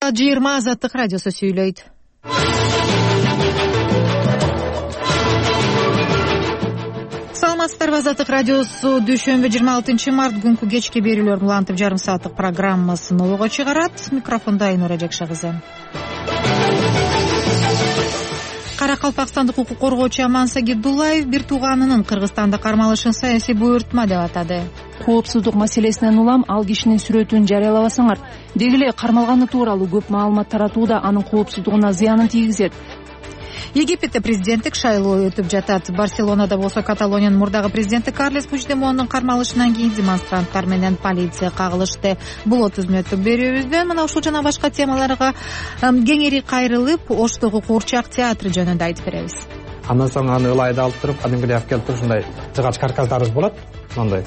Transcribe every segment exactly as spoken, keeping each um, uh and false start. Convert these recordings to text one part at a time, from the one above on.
саат жыйырма Азаттык радиосу сүйлөйт. Саламатсыздарбы? Азаттык радиосу дүйшөмбү жыйырма алтынчы март күнкү кечки берүүлөр улантып жарым сааттык программасын олого чыгарат. Микрофондо Айнура Жакша кызы. Каракалпакстандык укук коргоочу Амансагит Дулаев бир тууганынын Кыргызстанда кармалышын саясий буйртма деп атады. Коопсуздук маселесинен улам ал кишинин сүрөтүн жарыялабасаңар, деги эле кармалганы тууралуу көп маалымат таратууда анын коопсуздугуна зыянын тийгизет. Египетте президенттик шайлоо өтүп жатат. Барселонада болсо Каталониянын мурдагы президенти Карлес Пучдемондун кармалышынан кийин демонстранттар менен полиция кагылышты. Бул отуз мүнөттүк берүүбүздөн мына ушул жана башка темаларга кеңири кайрылып, Оштогу Куурчак театры жөнүндө айтып беребиз. Андан соң аны ылайда алып туруп, кадимкидей алып келип туруп, ушундай жыгач каркастарыбыз болот. Мондай.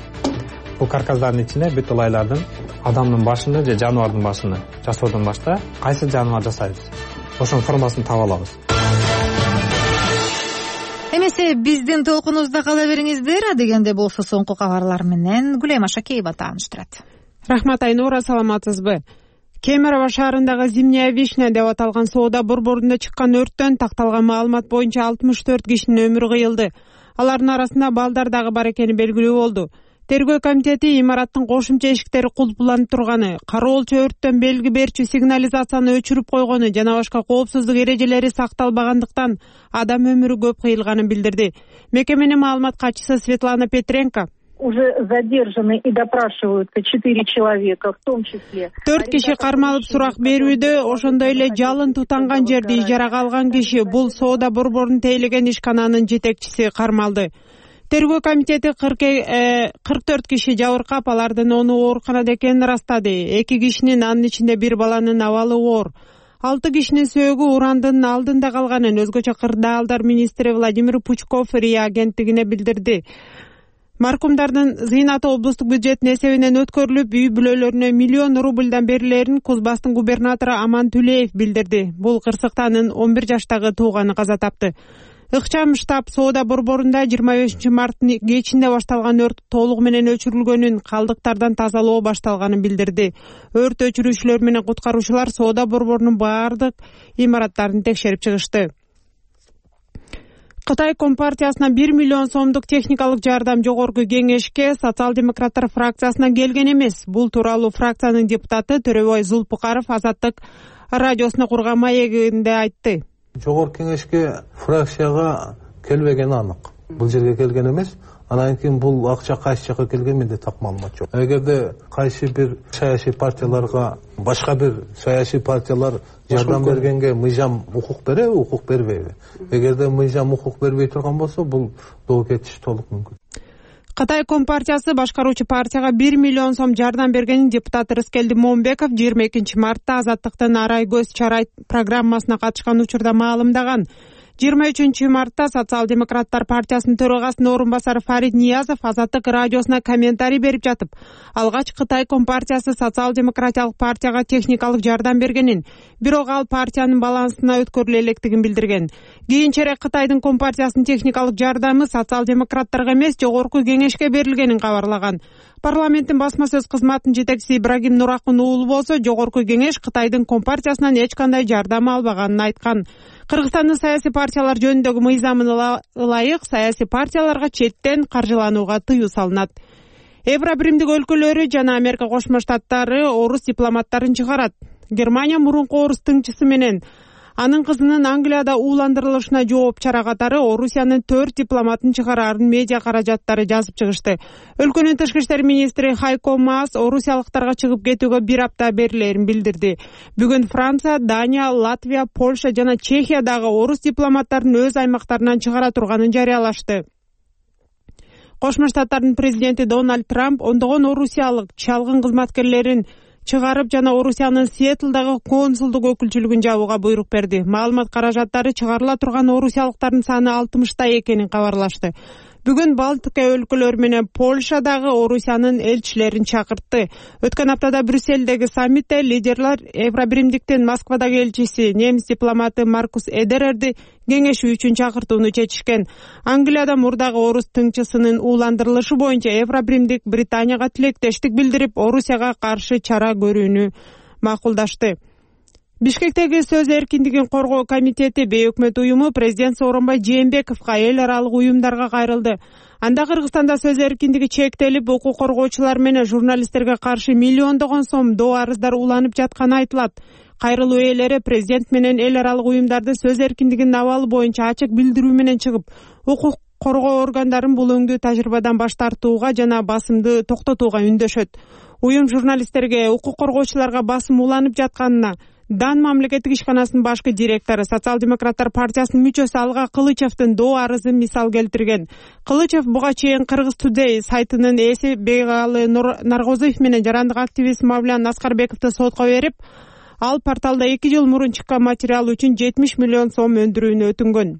Бул каркастардын ичине бүт ылайлардын адамдын башыны же жаныбардын башыны жасоодон башта кайсы жаныбар жасайбыз. Ошонун формасын таап алабыз. Эмесе биздин толкунубузда кала бериңиздер, дегенде болсо соңку кабарлар менен Гүлайма Шакеева тааныштырат. Рахмат, Айнура, саламатсызбы? Кемерово шаарындагы Зимняя вишня деп аталган соода борборунда чыккан өрттөн такталган маалымат боюнча алтымыш төрт кишинин өмүрү кыйылды. Алардын арасында балдар дагы бар экени белгилүү болду. Тергөө комитети имараттын кошумча эшиктери кулпуланып турганы, кароолчу өрттөн белги берчү сигнализацияны өчүрүп койгону жана башка коопсуздук эрежелери сакталбагандыктан адам өмүрү көп кыйылганын билдирди. Мекеменин маалымат катчысы Светлана Петренко уже задержаны и допрашиваются четыре человека, в том числе. Төрт киши кармалып сурак берүүдө, ошондой эле жалын тутанган жерди ижарага алган киши, бул соода борборун тейлеген ишкананын жетекчиси кармалды. Тергөө комитети кырк төрт киши жабыркап, алардын оны ооруканада экенин ырастады. Эки кишинин, анын ичинде бир баланын абалы оор. Алты кишинин сөөгү урандын алдында калганын өзгөчө кырдаалдар министри Владимир Пучков РИА агенттигине билдирди. Маркумдардын зыйнаты облустук бюджеттин эсебинен өткөрүлүп, үй бүлөлөрүнө миллион рубльдан берилерин Кузбасстын губернатору Аман Түлеев билдирди. Бул кырсыктанын он бир жаштагы тууганы каза тапты. Ыкчам штаб соода борборунда жыйырма бешинчи марттын кечинде башталган өрт толугу менен өчүрүлгөнүн, калдыктардан тазалоо башталганын билдирди. Өрт өчүрүүчүлөр менен куткаруучулар соода борборунун баардык имараттарын текшерип чыгышты. Кытай Компартиясына бир миллион сомдук техникалык жардам жогорку кеңешке социал-демократтар фракциясынан келген эмес. Бул тууралуу фракциянын депутаты Төрөбай Зулпукаров Азаттык радиосуна курган маегинде айтты. Жогорку кеңешке фракцияга келбегени анык. Бул жерге келген эмес. Анан кийин бул акча кайсы жака келген менде так маалымат жок. Эгерде кайсы бир саясий партияларга, башка бир саясий партиялар жардам бергенге мыйзам укук береби, укук бербейби? Эгерде мыйзам укук бербей турган болсо, бул доо кетиш толук мүмкүн. Кытай Компартиясы башкаруучу партияга бир миллион сом жардам бергенин депутат Рыскелди Момбеков жыйырма экинчи мартта Азаттыктын Арай көз чарай программасына катышкан учурда маалымдаган. жыйырма үчүнчү мартта Социал-демократтар партиясынын төрагасынын орун басары Фарид Ниязов Азаттык радиосуна комментарий берип жатып, алгач Кытай Компартиясы социал-демократиялык партияга техникалык жардам бергенин, бирок ал партиянын балансына өткөрүлө электигин билдирген. Кийинчерээк Кытайдын Компартиясынын техникалык жардамы социал-демократтарга эмес, жогорку кеңешке берилгенин кабарлаган. Парламенттин басма сөз кызматынын жетекчиси Ибрагим Нуракун уулу болсо, жогорку кеңеш Кытайдын Компартиясынан эч кандай жардам албаганын айткан. Кыргызстандын саясий партиялар жөнүндөгү мыйзамына ылайык саясий партияларга четтен каржыланууга тыюу салынат. Евро биримдик өлкөлөрү жана Америка Кошмо Штаттары орус дипломаттарын чыгарат. Германия мурунку орус тыңчысы менен анын кызынын Англияда ууландырылышына жооп чара катары Орусиянын төрт дипломатын чыгараарын медиа каражаттары жазып чыгышты. Өлкөнүн тышкы иштер министри Хайко Маас орусиялыктарга чыгып кетүүгө бир апта берилерин билдирди. Бүгүн Франция, Дания, Латвия, Польша жана Чехиядагы орус дипломаттарын өз аймактарынан чыгара турганын жарыялашты. Кошмо Штаттардын президенти Дональд Трамп ондогон орусиялык чалгын кызматкерлерин чыгарып жана Орусиянын Сиэтлдагы консулдук өкүлчүлүгүн жабууга буйрук берди. Маалымат каражаттары чыгарыла турган орусиялыктардын саны алтымышта экенин кабарлашты. Бүгүн Балтика өлкөлөрү менен Польшадагы Орусиянын элчилерин чакыртты. Өткөн аптада Брюссельдеги саммитте лидерлер Евробиримдиктин Москвадагы элчиси немис дипломаты Маркус Эдерерди кеңешүү үчүн чакыртууну чечишкен. Англияда мурдагы орус тыңчысынын ууландырылышы боюнча Евробиримдик Британияга тилектештик билдирип, Орусияга каршы чара көрүүнү макулдашты. Бишкектеги сөз эркиндигин коргоо комитети бейөкмөт уюму президент Сооронбай Жээнбековго эл аралык уюмдарга кайрылды. Анда Кыргызстанда сөз эркиндиги чектелип, укук коргоочулар менен журналисттерге каршы миллиондогон сом доо арыздар уланып жатканы айтылат. Кайрылуу ээлери президент менен эл аралык уюмдарды сөз эркиндигинин абалы боюнча ачык билдирүү менен чыгып, укук коргоо органдарын бул өңдүү тажрыйбадан баш тартууга жана басымды токтотууга үндөшөт. Уюм журналисттерге, укук коргоочуларга басым уланып жатканына Дан мамлекеттик ишканасынын башкы директору, Социал-демократтар партиясынын мүчөсү Алга Кылычевдин доо арызын мисал келтирген. Кылычев буга чейин Кыргыз Today сайтынын ээси Бегалы Наргозиев менен жарандык активист Мавлян Аскарбековду сотко берип, ал порталда эки жыл мурун чыккан материал үчүн жетимиш миллион сом өндүрүүнү өтүнгөн.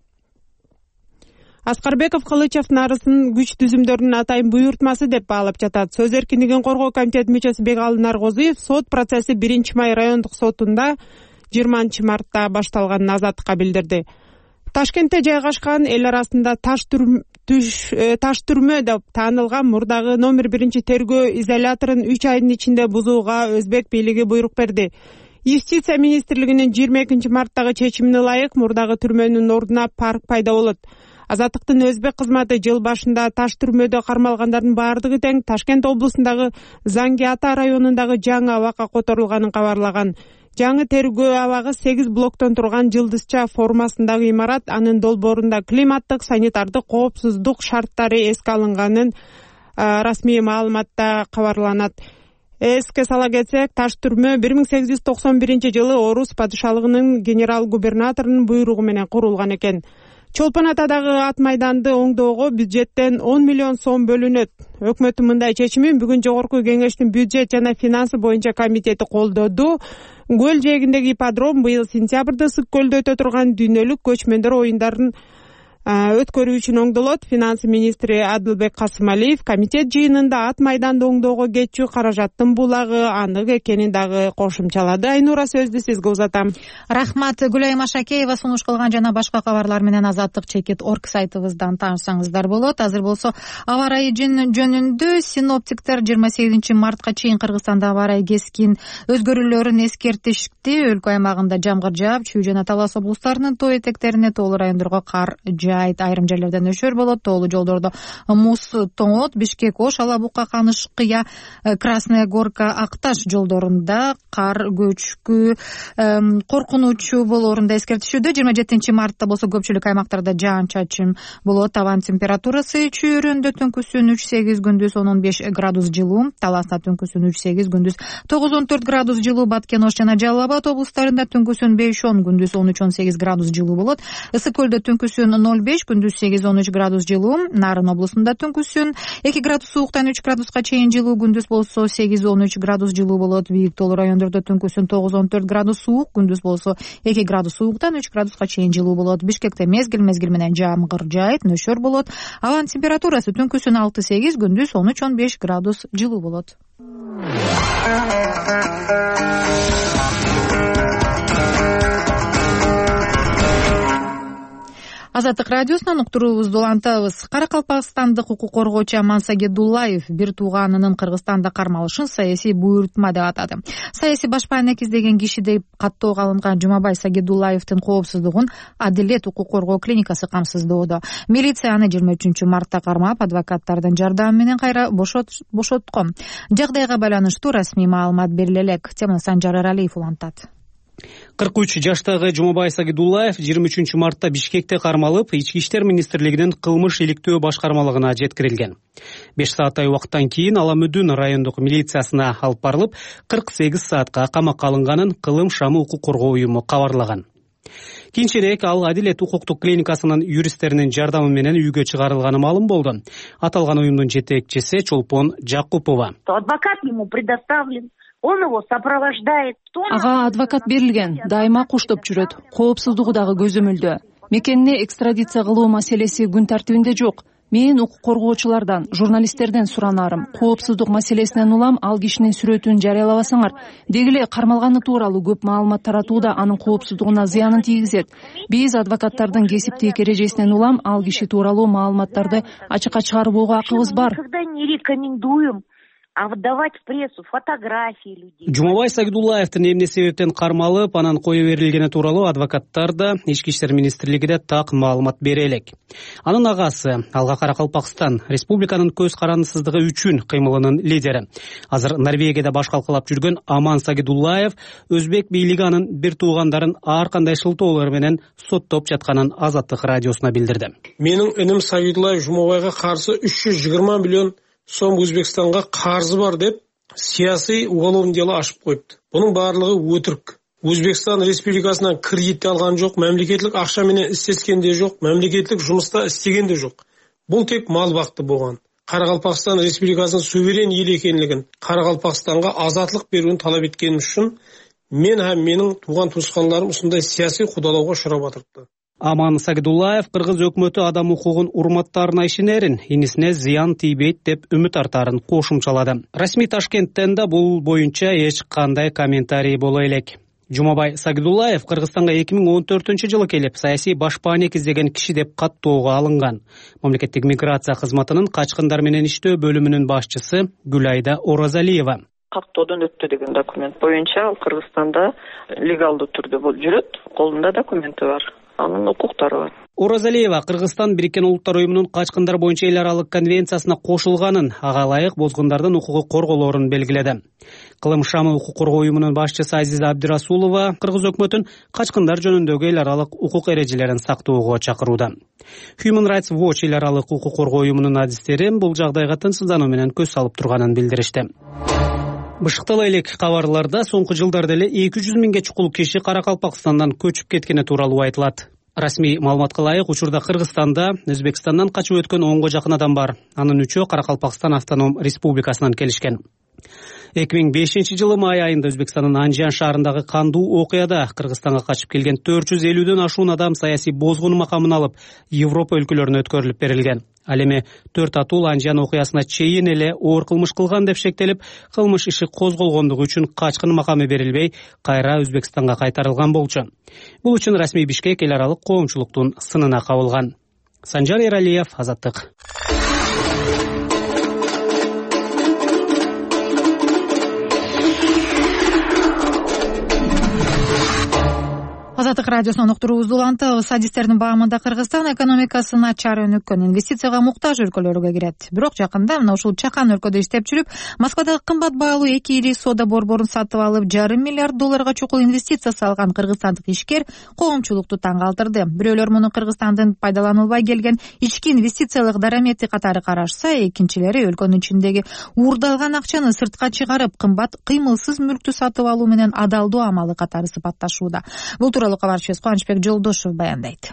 Аскарбеков Кылычевдин арызын күч түзүмдөрүнүн атайын буйртмасы деп баалап жатат. Сөз эркиндигин коргоо комитети мүчөсү Бегалы Наргозиев сот процесси биринчи май райондук сотунда жыйырманчы мартта башталганын Азаттыкка билдирди. Ташкентте жайгашкан эл арасында таш түрмө деп таанылган мурдагы номер биринчи тергөө изоляторун үч айдын ичинде бузууга өзбек бийлиги буйрук берди. Юстиция министрлигинин жыйырма экинчи марттагы чечимине ылайык мурдагы түрмөнүн ордуна парк пайда болот. Азаттыктын өзбек кызматы жыл башында таш түрмөдө кармалгандардын баардыгы тең Ташкент облусундагы Занги Ата районундагы жаңы абакка которулганын кабарлаган. Жаңы тергөө абагы сегиз блоктон турган жылдызча формасындагы имарат, анын долбоорунда климаттык, санитардык коопсуздук шарттары эске алынганын расмий маалыматта кабарланат. Эске сала кетсек, таш түрмө бир миң сегиз жүз токсон биринчи жылы Орус падышалыгынын генерал-губернаторунун буйругу менен курулган экен. Чолпон Атадагы ат майданды оңдоого бюджеттен он миллион сом бөлүнөт. Өкмөттүн мындай чечимин бүгүн Жогорку Кеңештин бюджет жана финансы боюнча комитети колдоду. Көл жээгиндеги ипподром быйыл сентябрда Сык көлдө өтө турган дүйнөлүк көчмөндөр оюндарын өткөрүү үчүн оңдолот. Финансы министри Адылбек Касымалиев комитет жыйынында ат майданды оңдоого кетчү каражаттын булагы анык экенин дагы кошумчалады. Айнура, сөздү сизге узатам. Рахмат. Гүлайым Ашакеева сунуш кылган жана башка кабарлар менен Азаттык чекит орг сайтыбыздан таанышсаңыздар болот. Азыр болсо аба ырайы жөнүндө синоптиктер жыйырма сегизинчи мартка чейин Кыргызстанда аба ырайы кескин өзгөрүүлөрүн эскертишти. Өлкө аймагында жамгыр жаап, Чүй жана Талас облустарынын тоо этектерине, тоолуу райондорго кар жаайт. Айрым жерлерде нөшөр болот, тоолуу жолдордо муз тоңот. Бишкек Ош, Алабука, Каныш Кыя, Красная Горка, Акташ жолдорунда кар көчкү коркунучу болоорунда эскертишүүдө. жыйырма жетинчи мартта болсо көпчүлүк аймактарда жаан-чачын болот. Табан температурасы Чүйөрөндө түнкүсүн үч сегиз, күндүз он он беш градус жылуу, Таласта түнкүсүн үч сегиз, күндүз тогуз он төрт градус жылуу, Баткен, Ош жана Жалал Абад облустарында түнкүсүн беш он, күндүз он үч он сегиз градус жылуу болот. Ысык көлдө түнкүсүн ноль беш, күндүз сегиз он үч градус жылуу, Нарын облусунда түнкүсүн эки градус сууктан үч градуска чейин жылуу, күндүз болсо сегиз он үч градус жылуу болот. Бийик тоолуу райондордо түнкүсүн тогуз он төрт градус суук, күндүз болсо эки градус сууктан үч градуска чейин жылуу болот. Бишкекте мезгил мезгил менен жамгыр жаайт, нөшөр болот. Абанын температурасы түнкүсүн алты сегиз, күндүз он үч он беш градус жылуу болот. Азаттык радиосунан уктуруубузду улантабыз. Каракалпакстандык укук коргоочу Аман Сагедуллаев бир тууганынын Кыргызстанда кармалышын саясий буйртма деп атады. Саясий башпаанек издеген киши деп каттоого алынган Жумабай Сагедуллаевдин коопсуздугун Адилет укук коргоо клиникасы камсыздоодо. Милиция аны жыйырма үчүнчү мартта кармап, адвокаттардын жардамы менен кайра бошоткон. Жагдайга байланыштуу расмий маалымат бериле элек. Теманы Санжар Эралиев улантат. кырк үч жаштагы Жумабай Сагедуллаев жыйырма үчүнчү мартта Бишкекте кармалып, Ички иштер министрлигинин кылмыш иликтөө башкармалыгына жеткирилген. беш сааттай убакыттан кийин Аламүдүн райондук милициясына алып барылып, кырк сегиз саатка камакка алынганын Кылым Шамы укук коргоо уюму кабарлаган. Кийинчерээк ал Адилет укуктук клиникасынын юристтеринин жардамы менен үйгө чыгарылганы маалым болду. Аталган уюмдун жетекчиси Чолпон Жакупова. Адвокат ему предоставлен. Он его сопровождает. Ага адвокат берилген, дайыма куштоп жүрөт. Коопсуздугу дагы көзөмөлдө. Мекенине экстрадиция кылуу маселеси күн тартибинде жок. Мен укук коргоочулардан, журналисттерден суранарым. Коопсуздук маселесинен улам ал кишинин сүрөтүн жарыялабасаңар, дегиле кармалганы тууралуу көп маалымат таратууда анын коопсуздугуна зыянын тийгизет. Биз адвокаттардын кесиптик эрежесинен улам ал киши тууралуу маалыматтарды ачыкка чыгарбоого акыбыз бар. Никогда не рекомендуем а выдавать в прессу фотографии людей. Жумабай Сагидуллаевдин эмне себептен кармалып, анан кое берилгени тууралуу адвокаттар да, Ички иштер министрлиги да так маалымат бере элек. Анын агасы, Алга Каракалпакстан республиканын көз карандысыздыгы үчүн кыймылынын лидери. Азыр Норвегияда баш калкалап жүргөн Аман Сагидуллаев өзбек бийлиги анын бир туугандарын ар кандай шылтоолор менен соттоп жатканын Азаттык радиосуна билдирди. Менин иним Сагидуллаев Жумабайга каршы үч жүз жыйырма миллион сом Өзбекстанга карзы бар деп саясий уголовный дело ачып коюпту. Бунун баардыгы өтүрк. Өзбекстан республикасынан кредит алган жок, мамлекеттик акча менен иштескен де жок, мамлекеттик жумушта иштеген де жок. Бул тек мал бакты болгон. Каракалпакстан республикасынын суверен эл экенлигин, Каракалпакстанга азатлык берүүнү талап эткеним үчүн мен һәм менин тууган туушкандарым ушундай саясий кудалоого учурап атышты. Аман Сагидуллаев кыргыз өкмөтү адам укугун урматтаарына ишенерин, инисине зыян тийбейт деп үмүт артарын кошумчалады. Расмий Ташкенттен да бул боюнча эч кандай комментарий боло элек. Жумабай Сагидуллаев Кыргызстанга эки миң он төртүнчү жылы келип, саясий башпаанек издеген киши деп каттоого алынган. Мамлекеттик миграция кызматынын качкындар менен иштөө бөлүмүнүн башчысы Гүлайда Оразалиева. Каттоодон өттү деген документ боюнча ал Кыргызстанда легалдуу түрдө жүрөт, колунда документи бар. Анын укуктары бар. Оразалиева Кыргызстан Бириккен Улуттар уюмунун качкындар боюнча эл аралык конвенциясына кошулганын, ага ылайык бозгундардын укугу корголоорун белгиледи. Кылым Шамы укук коргоо уюмунун башчысы Азиза Абдирасулова кыргыз өкмөтүн качкындар жөнүндөгү эл аралык укук эрежелерин сактоого чакырууда. Human Rights Watch эл аралык укук коргоо уюмунун адистери бул жагдайга тынчсыздануу менен көз салып турганын билдиришти. Бышыктала элек кабарларда соңку жылдарда эле эки жүз миңге чукул киши Каракалпакстандан көчүп кеткени тууралуу айтылат. Расмий маалыматка ылайык учурда Кыргызстанда Өзбекстандан качып өткөн онго жакын адам бар. Анын үчөө Каракалпакстан автоном республикасынан келишкен. эки миң бешинчи жылы май айында Өзбекстандын Анжан шаарындагы кандуу окуяда Кыргызстанга качып келген төрт жүз элүүдөн ашуун адам саясий бозгун макамын алып Европа өлкөлөрүнө өткөрүлүп берилген. Ал эми төрт атуу Анжан окуясына чейин эле оор кылмыш кылган деп шектелип, кылмыш иши козголгондугу үчүн качкын макамы берилбей, кайра Өзбекстанга кайтарылган болчу. Бул үчүн расмий Бишкек эл аралык коомчулуктун сынына кабылган. Санжар Эралиев, Азаттык. Азаттык радиосунун уктуруубузду улантабыз. Адистердин баамында Кыргызстан экономикасы начар өнүккөн, инвестицияга муктаж өлкөлөргө кирет. Бирок жакында мына ушул чакан өлкөдө иштеп жүрүп, Москвадагы кымбат баалуу эки ири соода борборун сатып алып, жарым миллиард долларга чукул инвестиция салган кыргызстандык ишкер коомчулукту таң калтырды. Бирөөлөр муну Кыргызстандын пайдаланылбай келген ички инвестициялык дарамети катары карашса, экинчилери өлкөнүн ичиндеги уурдалган акчаны сыртка чыгарып, кымбат кыймылсыз мүлктү сатып алуу менен адалдоо амалы катары сыпатташууда. Бул тууралуу кабарчыбыз Кубанычбек Жолдошев баяндайт.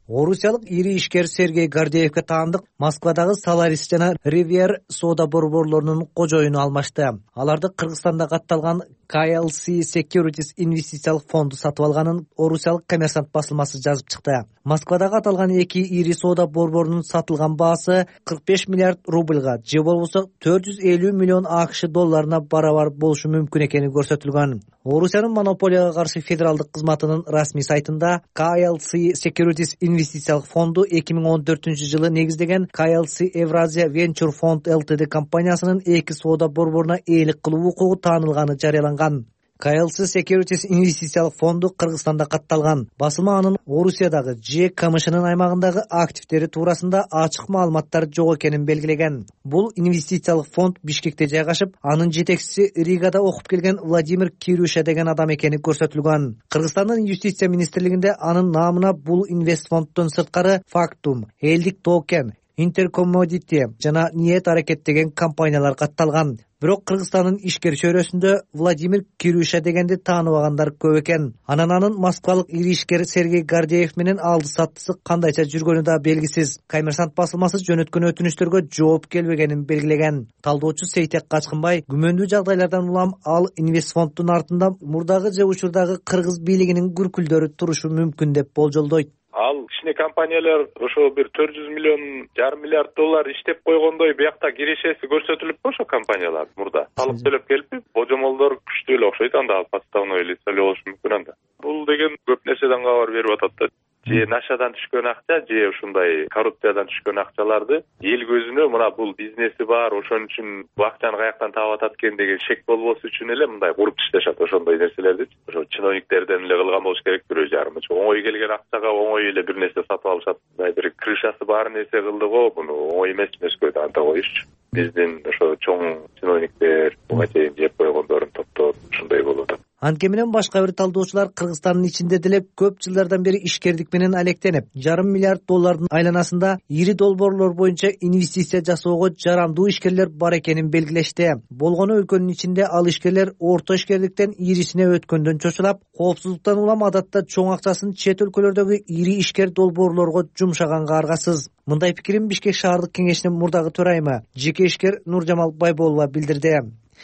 Орусиялык ири ишкер Сергей Гордеевке таандык Москвадагы Solaris жана Rivier соода борборлорунун кожоюну алмашты. Аларды Кыргызстанда катталган кей эл си Securities инвестициялык фонду сатып алганын орусиялык коммерсант басылмасы жазып чыкты. Москвадагы аталган эки ири соода борборунун сатылган баасы кырк беш миллиард рубльга, же болбосо төрт жүз элүү миллион акш долларына барабар болушу мүмкүн экени көрсөтүлгөн. Орусиянын монополияга каршы федералдык кызматынын расмий сайтында кей эл си Securities инвестициялык фонду эки миң он төртүнчү жылы негиздеген кей эл си Евразия Venture Fund Ltd компаниясынын эки соода борборуна ээлик кылуу укугу таанылганы жарыяланган. кей эл си Securities инвестициялык фонду Кыргызстанда катталган. Басылма анын Орусиядагы же КМШнын аймагындагы активдери туурасында ачык маалыматтар жок экенин белгилеген. Бул инвестициялык фонд Бишкекте жайгашып, анын жетекчиси Ригада окуп келген Владимир Кирюша деген адам экени көрсөтүлгөн. Кыргызстандын юстиция министрлигинде анын наамына бул инвестфонддон сырткары Factum, Элдик Токен, Интеркоммодити жана Ниет аракет деген компаниялар катталган. Бирок Кыргызстандын ишкер чөйрөсүндө Владимир Кирюша дегенди тааныбагандар көп экен. Анан анын москвалык ири ишкер Сергей Гордеев менен алды саттысы кандайча жүргөнү да белгисиз. Коммерсант басылмасы жөнөткөн өтүнүчтөргө жооп келбегенин белгилеген. Талдоочу Сейтек Качкынбай күмөндүү жагдайлардан улам ал инвестфонддун артында мурдагы же учурдагы кыргыз бийлигинин күркүлдөрү турушу мүмкүн деп болжолдойт. Ал кичине компаниялар ошо бир төрт жүз миллион, жарым миллиард доллар иштеп койгондой биякта кирешеси көрсөтүлүппү ошо компаниялар мурда. Салык төлөп келип, божомолдор күчтүү эле окшойт, анда подставной лицо эле болушу мүмкүн анда. Бул деген көп нерседен кабар берип атат да. же нашадан түшкөн акча же ушундай коррупциядан түшкөн акчаларды эл көзүнө мына бул бизнеси бар, ошон үчүн бул акчаны каяктан таап атат экен деген шек болбосу үчүн эле мындай куруп ташташат ошондой нерселерди. Ошо чиновниктерден эле кылган болуш керек бирөө жарым. Оңой келген акчага оңой эле бир нерсе сатып алышат. Мындай бир крышасы бар нерсе кылды го, буну оңой эмес эмескөйдү анта коюшчу. Биздин ошо чоң чиновниктер буга чейин жеп койгондорун топтоп ушундай болуп атат. Анткени менен башка бир талдоочулар Кыргызстандын ичинде деле көп жылдардан бери ишкердик менен алектенип, жарым миллиард доллардын айланасында ири долбоорлор боюнча инвестиция жасоого жарамдуу ишкерлер бар экенин белгилешти. Болгону өлкөнүн ичинде ал ишкерлер орто ишкерликтен ирисине өткөндөн чочулап, коопсуздуктан улам адатта чоң акчасын чет өлкөлөрдөгү ири ишкер долбоорлорго жумшаганга аргасыз. Мындай пикирин Бишкек шаардык кеңешинин мурдагы төрайымы, жеке ишкер Нуржамал Байболова билдирди.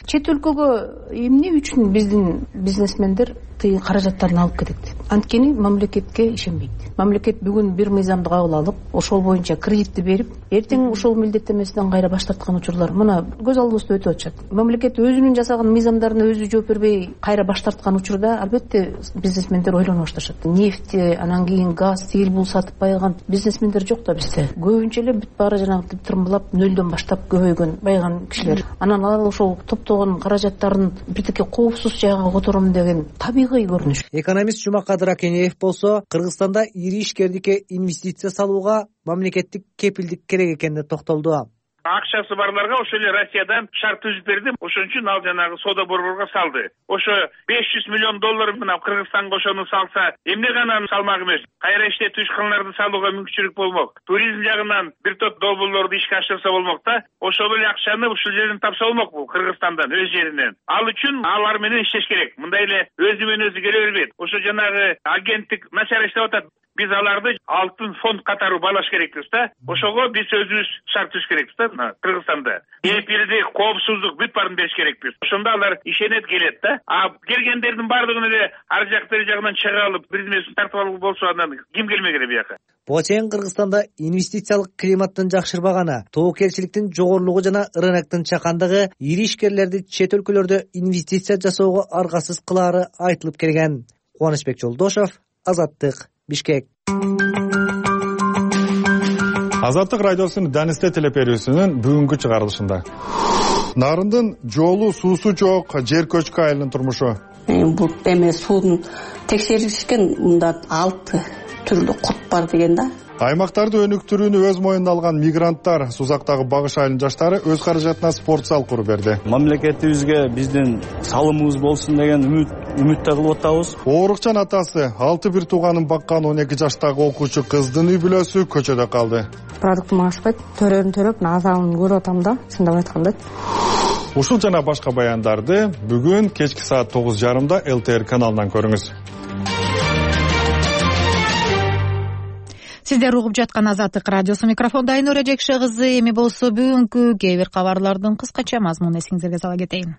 Чет өлкөгө эмне үчүн биздин бизнесмендер тыйын каражаттарын алып кетет? Анткени мамлекетке ишенбейт. Мамлекет бүгүн бир мыйзамды кабыл алып, ошол боюнча кредитти берип, эртең ошол милдеттенмесинен кайра баш тарткан учурлар мына көз алдыбызда өтүп атышат. Мамлекет өзүнүн жасаган мыйзамдарына өзү жооп бербей кайра баш тарткан учурда албетте бизнесмендер ойлоно башташат. Нефть, анан кийин газ, тил бул сатып байган бизнесмендер жок да бизде. Көбүнчө эле бүт баары жанагы тырмбылап нөлдөн баштап көбөйгөн байган кишилер. Анан ал ошол топтогон каражаттарын бирдеке коопсуз жайга котором деген табигый көрүнүш. Экономист Жумакадыр Акенеев болсо Кыргызстанда ири ишкерликке инвестиция салууга мамлекеттик кепилдик керек экенине токтолду. Акчасы барларга ошол эле Россиядан шарт түзүп берди. Ошон үчүн ал жанагы соода борборго салды. Ошо беш жүз миллион доллар мына Кыргызстанга ошону салса, эмне гана салмак эмес. Кайра иштетүү ишканаларды салууга мүмкүнчүлүк болмок. Туризм жагынан бир топ долбоорлорду ишке ашырса болмок да. Ошол эле акчаны ушул жерден тапса болмок бул Кыргызстандан, өз жеринен. Ал үчүн алар менен иштеш керек. Мындай эле өзү менен өзү келе бербейт. Ошо жанагы агенттик начар иштеп атат. Биз аларды алтын фонд катары балаш керекпиз да. Ошого биз өзүбүз шарт түзүш керекпиз да Кыргызстанда. Эпирдик, коопсуздук бүт баарын бериш керекпиз. Ошондо алар ишенет, келет да. А келгендердин баардыгын эле ар жак бери жагынан чыга алып, бизнесин тартып алуу болсо анан ким келмек эле бияка? Буга чейин Кыргызстанда инвестициялык климаттын жакшырбаганы, тоокелчиликтин жогорулугу жана рыноктун чакандыгы ири ишкерлерди чет өлкөлөрдө инвестиция жасоого аргасыз кылаары айтылып келген. Кубанычбек Жолдошов, Азаттык, Бишкек. Азаттык радиосунун Данисте телеперүүсүнүн бүгүнкү чыгарылышында Нарындын жолу, суусу жок жер көчкү айылынын турмушу. Бул эме суунун текшеришкен мында алты түрлүү курт бар деген да. Аймактарды өнүктүрүүнү өз моюнуна алган мигранттар Сузактагы Багыш айылынын жаштары өз каражатына спорт зал куруп берди. Мамлекетибизге биздин салымыбыз болсун деген үмүт үмүттө кылып атабыз. Оорукчан атасы алты бир тууганын баккан он эки жаштагы окуучу кыздын үй бүлөсү көчөдө калды. Продуктум ашпайт, төрөнү төрөп, азабын көрүп атам да, чындап айтканда. Ушул жана башка баяндарды бүгүн кечки саат тогуз жарымда эл тэ эр каналынан көрүңүз. Сиздер угуп жаткан Азаттык радиосу, микрофонда Айнура Жекше кызы. Эми болсо бүгүнкү кээ бир кабарлардын кыскача мазмунун эсиңизерге сала кетейин.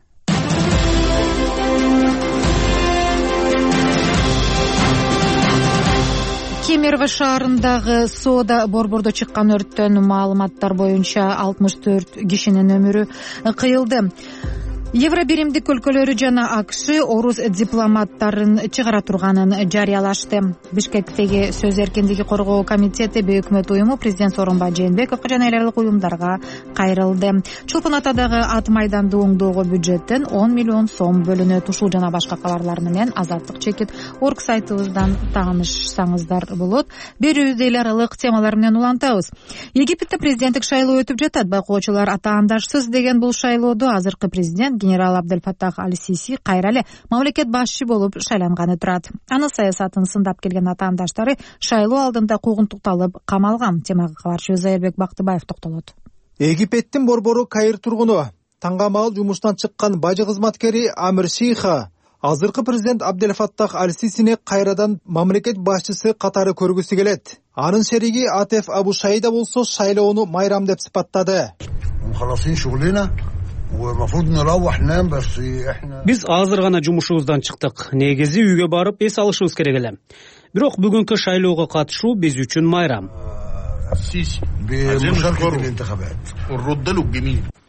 Кемерово шаарындагы соода борбордо чыккан өрттөн маалыматтар боюнча алтымыш төрт кишинин өмүрү кыйылды. Евро биримдик өлкөлөрү жана АКШ орус дипломаттарын чыгара турганын жарыялашты. Бишкектеги сөз эркиндиги коргоо комитети өкмөт уюму президент Сооронбай Жээнбековго жана эл аралык уюмдарга кайрылды. Чолпон Атадагы ат майданды оңдоого бюджеттен он миллион сом бөлүнөт. Ушул жана башка кабарлар менен Азаттык чекит орг сайтыбыздан таанышсаңыздар болот. Берүүбүздү эл аралык темалар менен улантабыз. Египетте президенттик шайлоо өтүп жатат. Байкоочулар атаандашсыз деген бул шайлоодо азыркы президент генерал Абделфаттах Аль-Сиси кайра эле мамлекет башчы болуп шайланганы турат. Анын саясатын сындап келген атаандаштары шайлоо алдында куугунтукталып камалган. Темага кабарчыбыз Айырбек Бактыбаев токтолот. Египеттин борбору Каир тургуну, таңгамал жумуштан чыккан бажы кызматкери Амир Шейха азыркы президент Абделфаттах Аль-Сисини кайрадан мамлекет башчысы катары көргүсү келет. Анын шериги Атеф Абу Шайда болсо шайлоону майрам деп сыпаттады. Биз азыр гана жумушубуздан чыктык. Негизи үйгө барып эс алышыбыз керек эле. Бирок бүгүнкү шайлоого катышуу биз үчүн майрам.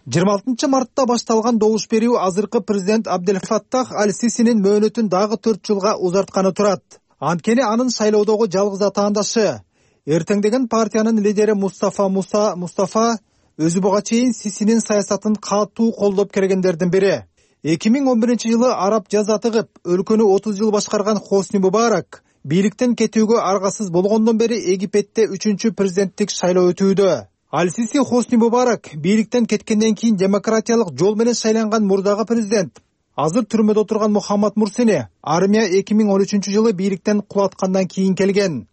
жыйырма алтынчы мартта башталган добуш берүү азыркы президент Абделфаттах Аль-Сисинин мөөнөтүн дагы төрт жылга узартканы турат. Анткени анын шайлоодогу жалгыз атаандашы. Эртеңдеген партиянын лидери Мустафа Муса Мустафа өзү буга чейин Сисинин саясатын катуу колдоп келгендердин бири. эки миң он биринчи жылы араб жазаты кып өлкөнү отуз жыл башкарган Хосни Мубарак бийликтен кетүүгө аргасыз болгондон бери Египетте үчүнчү президенттик шайлоо өтүүдө. Аль-Сиси Хосни Мубарак бийликтен кеткенден кийин демократиялык жол менен шайланган мурдагы президент. Азыр түрмөдө отурган Мухаммад Мурсини армия эки миң он үчүнчү жылы бийликтен кулаткандан кийин келген.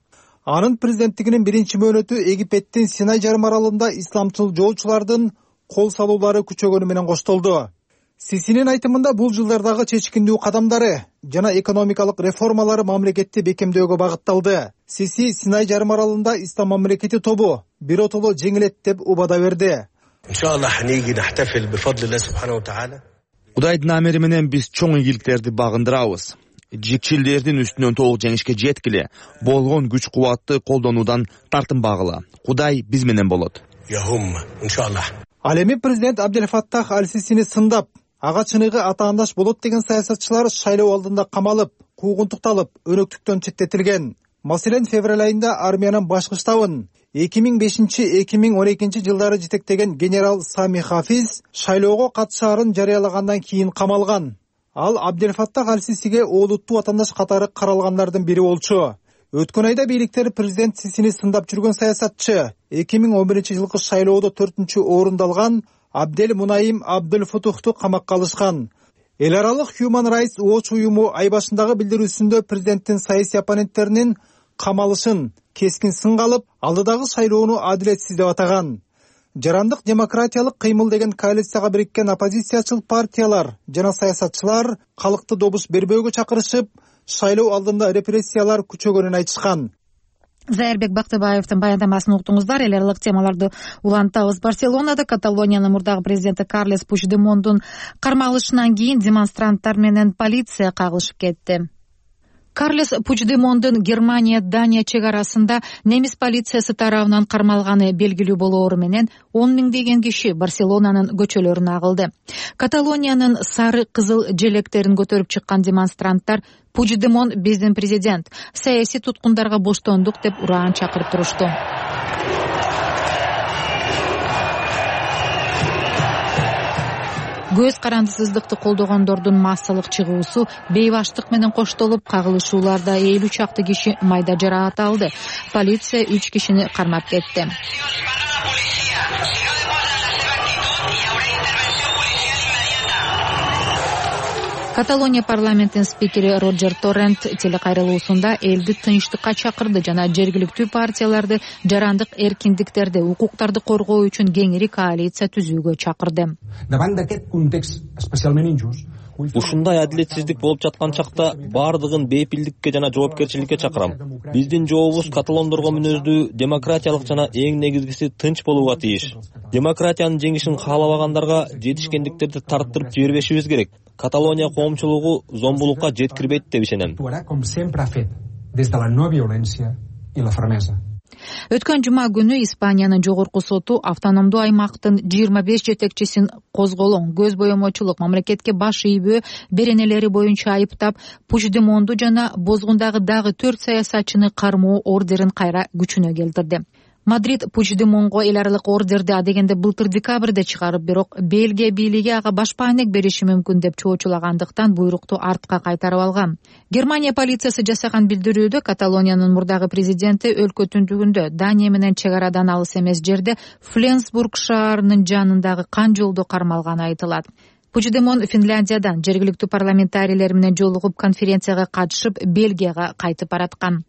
Анын президенттигинин биринчи мөөнөтү Египеттин Синай жарым аралында исламчыл жоочулардын кол салуулары күчөгөнү менен коштолду. Сисинин айтымында бул жылдардагы чечкиндүү кадамдары жана экономикалык реформалары мамлекетти бекемдөөгө багытталды. Сиси Синай жарым аралында ислам мамлекети тобу биротоло жеңилет деп убада берди. Кудайдын амери менен биз чоң ийгиликтерди багындырабыз. Жикчилдердин үстүнөн толук жеңишке жеткиле, болгон күч кубатты колдонуудан тартынбагыла. Кудай биз менен болот. Ал эми президент Абделфаттах Аль-Сисини сындап, ага чыныгы атаандаш болот деген саясатчылар шайлоо алдында камалып, куугунтукталып, өнөктүктөн четтетилген. Маселен, февраль айында армиянын башкы штабын эки миң бешинчи — эки миң он экинчи жылдары жетектеген генерал Сами Хафиз шайлоого катышаарын жарыялагандан кийин камалган. Ал Абделфаттах Аль-Сисиге олуттуу атаандаш катары каралгандардын бири болчу. Өткөн айда бийликтер президент Сисини сындап жүргөн саясатчы эки миң он биринчи жылкы шайлоодо төртүнчү орунду алган Абдел Мунаим Абдул Футухту камакка алышкан. Эл аралык Human Rights Watch уюму ай башындагы билдирүүсүндө президенттин саясий оппоненттеринин камалышын кескин сынга алып, алдыдагы шайлоону адилетсиз деп атаган. Жарандык демократиялык кыймыл деген коалицияга бириккен оппозициячыл партиялар жана саясатчылар калкты добуш бербөөгө чакырышып, шайлоо алдында репрессиялар күчөгөнүн айтышкан. Зайырбек Бактыбаевдин баяндамасын уктуңуздар. Эл аралык темаларды улантабыз. Барселонада Каталониянын мурдагы президенти Карлес Пучдемондун кармалышынан кийин демонстранттар менен полиция кагылышып кетти. Карлес Пучдемондун Германия Дания чек арасында немис полициясы тарабынан кармалганы белгилүү болоору менен он миңдеген киши Барселонанын көчөлөрүнө агылды. Каталониянын сары кызыл желектерин көтөрүп чыккан демонстранттар Пучдемон биздин президент, саясий туткундарга боштондук деп ураан чакырып турушту. Көз карандысыздыкты колдогондордун массалык чыгуусу бейбаштык менен коштолуп, кагылышууларда элүү чакты киши майда жараат алды. Полиция үч кишини кармап кетти. Каталония парламентинин спикери Роджер Торрент телекайрылуусунда элди тынчтыкка чакырды жана жергиликтүү партияларды жарандык эркиндиктерди, укуктарды коргоо үчүн кеңири коалиция түзүүгө чакырды. Ушундай адилетсиздик болуп жаткан чакта баардыгын бейпилдикке жана жоопкерчиликке чакырам. Биздин жообубуз каталондорго мүнөздүү, демократиялык жана эң негизгиси тынч болууга тийиш. Демократиянын жеңишин каалабагандарга жетишкендиктерди тарттырып жибербешибиз керек. Каталония коомчулугу зомбулукка жеткирбейт деп ишенем. Өткөн жума күнү Испаниянын жогорку соту автономдуу аймактын жыйырма беш жетекчисин козголоң, көз боемочулук, мамлекетке баш ийбөө беренелери боюнча айыптап, Пучдемонду жана бозгундагы дагы төрт саясатчыны кармоо ордерин кайра күчүнө келтирди. Мадрид Пучдемонго эл аралык ордерди адегенде былтыр декабрда чыгарып, бирок Бельгия бийлиги ага башпаанек бериши мүмкүн деп чоочулагандыктан буйрукту артка кайтарып алган. Германия полициясы жасаган билдирүүдө Каталониянын мурдагы президенти өлкө түндүгүндө Дания менен чек арадан алыс эмес жерде Фленсбург шаарынын жанындагы кан жолдо кармалганы айтылат. Пучдемон Финляндиядан жергиликтүү парламентарийлер менен жолугуп конференцияга катышып, Бельгияга кайтып бараткан.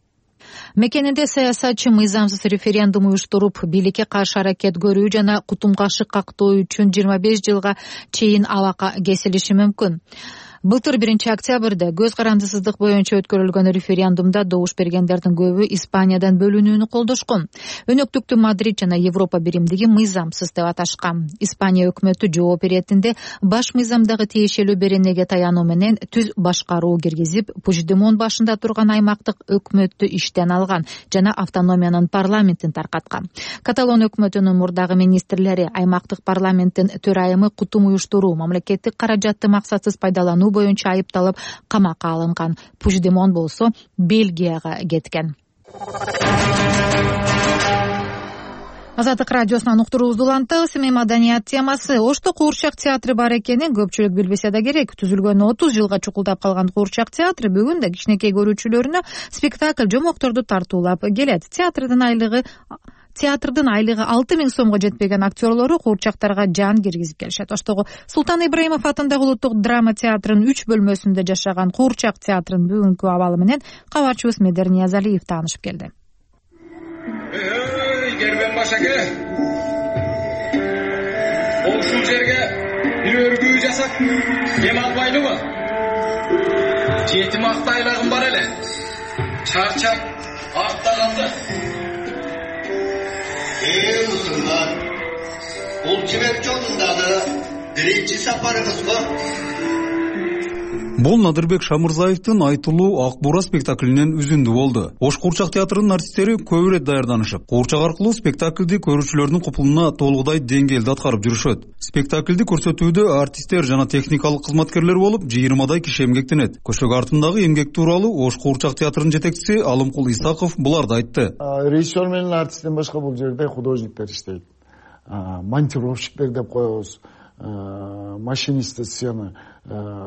Мекенинде саясатчы мыйзамсыз референдум уюштуруп, бийликке каршы аракет көрүү жана кутумга шыкактоо үчүн жыйырма беш жылга чейин абакка кесилиши мүмкүн. Былтыр биринчи октябрда көз карандысыздык боюнча өткөрүлгөн референдумда добуш бергендердин көбү Испаниядан бөлүнүүнү колдошкон. Өнөктүктү Мадрид жана Европа биримдиги мыйзамсыз деп аташкан. Испания өкмөтү жооп беретинде баш мыйзамдагы тиешелүү беренеге таянуу менен түз башкаруу киргизип, Пучдемон башында турган аймактык өкмөттү иштен алган жана автономиянын парламентин таркаткан. Каталон өкмөтүнүн мурдагы министрлери аймактык парламенттин төрайымы кутум уюштуруу, мамлекеттик каражатты максатсыз пайдалануу колдонуу боюнча айыпталып камакка алынган. Пучдемон болсо Бельгияга кеткен. Азаттык радиосунан уктуруубузду улантабыз. Эми маданият темасы. Ошто куурчак театры бар экенин көпчүлүк билбесе да керек. Түзүлгөнүнө отуз жылга чукулдап калган куурчак театры бүгүн да кичинекей көрүүчүлөрүнө спектакль, жомокторду тартуулап келет. Театрдын айлыгы Театрдын айлыгы алты миң сомго жетпеген актерлору куурчактарга жан киргизип келишет. Оштогу Султан Ибраимов атындагы улуттук драма театрынын үч бөлмөсүндө жашаган куурчак театрынын бүгүнкү абалы менен кабарчыбыз Медер Ниязалиев таанышып келди. Кербен башаке, ушул жерге бир өргүү жасап эме албайлыбы? Жети макта айлagым бар эле. Чарчап артта Эй, мусулман, бул жибек жолундагы биринчи сапарыңыз го? Бул Надырбек Шамырзаевдин айтылуу Ак Бура спектаклинен үзүндү болду. Ош куурчак театрынын артисттери көп ирет даярданышып, куурчак аркылуу спектаклди көрүүчүлөрдүн купулуна толугудай деңгээлде аткарып жүрүшөт. Спектаклди көрсөтүүдө артисттер жана техникалык кызматкерлер болуп жыйырмадай киши эмгектенет. Көчөк артындагы эмгек тууралуу Ош куурчак театрынын жетекчиси Алымкул Исаков буларды айтты. Режиссер менен артисттен башка бул жерде художниктер иштейт. Монтировщиктер деп коебуз. Машинисти сцена,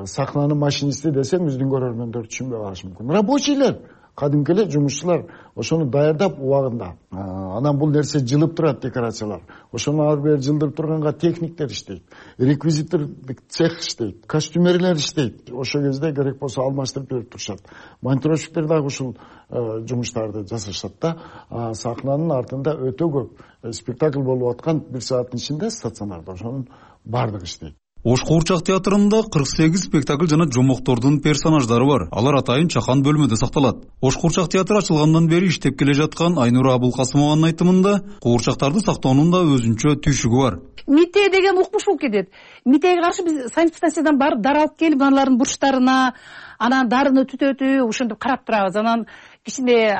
сахнанын машинисти десем биздин көрөрмөндөр түшүнбөй калышы мүмкүн. Рабочийлер, кадимки эле жумушчулар ошону даярдап убагында. Анан бул нерсе жылып турат, декорациялар. Ошону ар бери жылдырып турганга техниктер иштейт, реквизитордук цех иштейт, костюмерлер иштейт. Ошо кезде керек болсо алмаштырып берип турушат. Монтировщиктер дагы ушул жумуштарды жасашат да. Сахнанын артында өтө көп спектакль болуп аткан бир сааттын ичинде стационарда ошонун бардыгы иштейт. Ош куурчак театрында кырк сегиз спектакль жана жомоктордун персонаждары бар. Алар атайын чакан бөлмөдө сакталат. Ош куурчак театры ачылгандан бери иштеп келе жаткан Айнура Абулкасымованын айтымында куурчактарды сактоонун да өзүнчө түйшүгү бар. Мите деген укмуш болуп кетет. Митеге каршы биз санэпидстанциядан барып дары алып келип аналардын бурчтарына, анан дарыны түтөтүп, ошентип карап турабыз. Анан кичине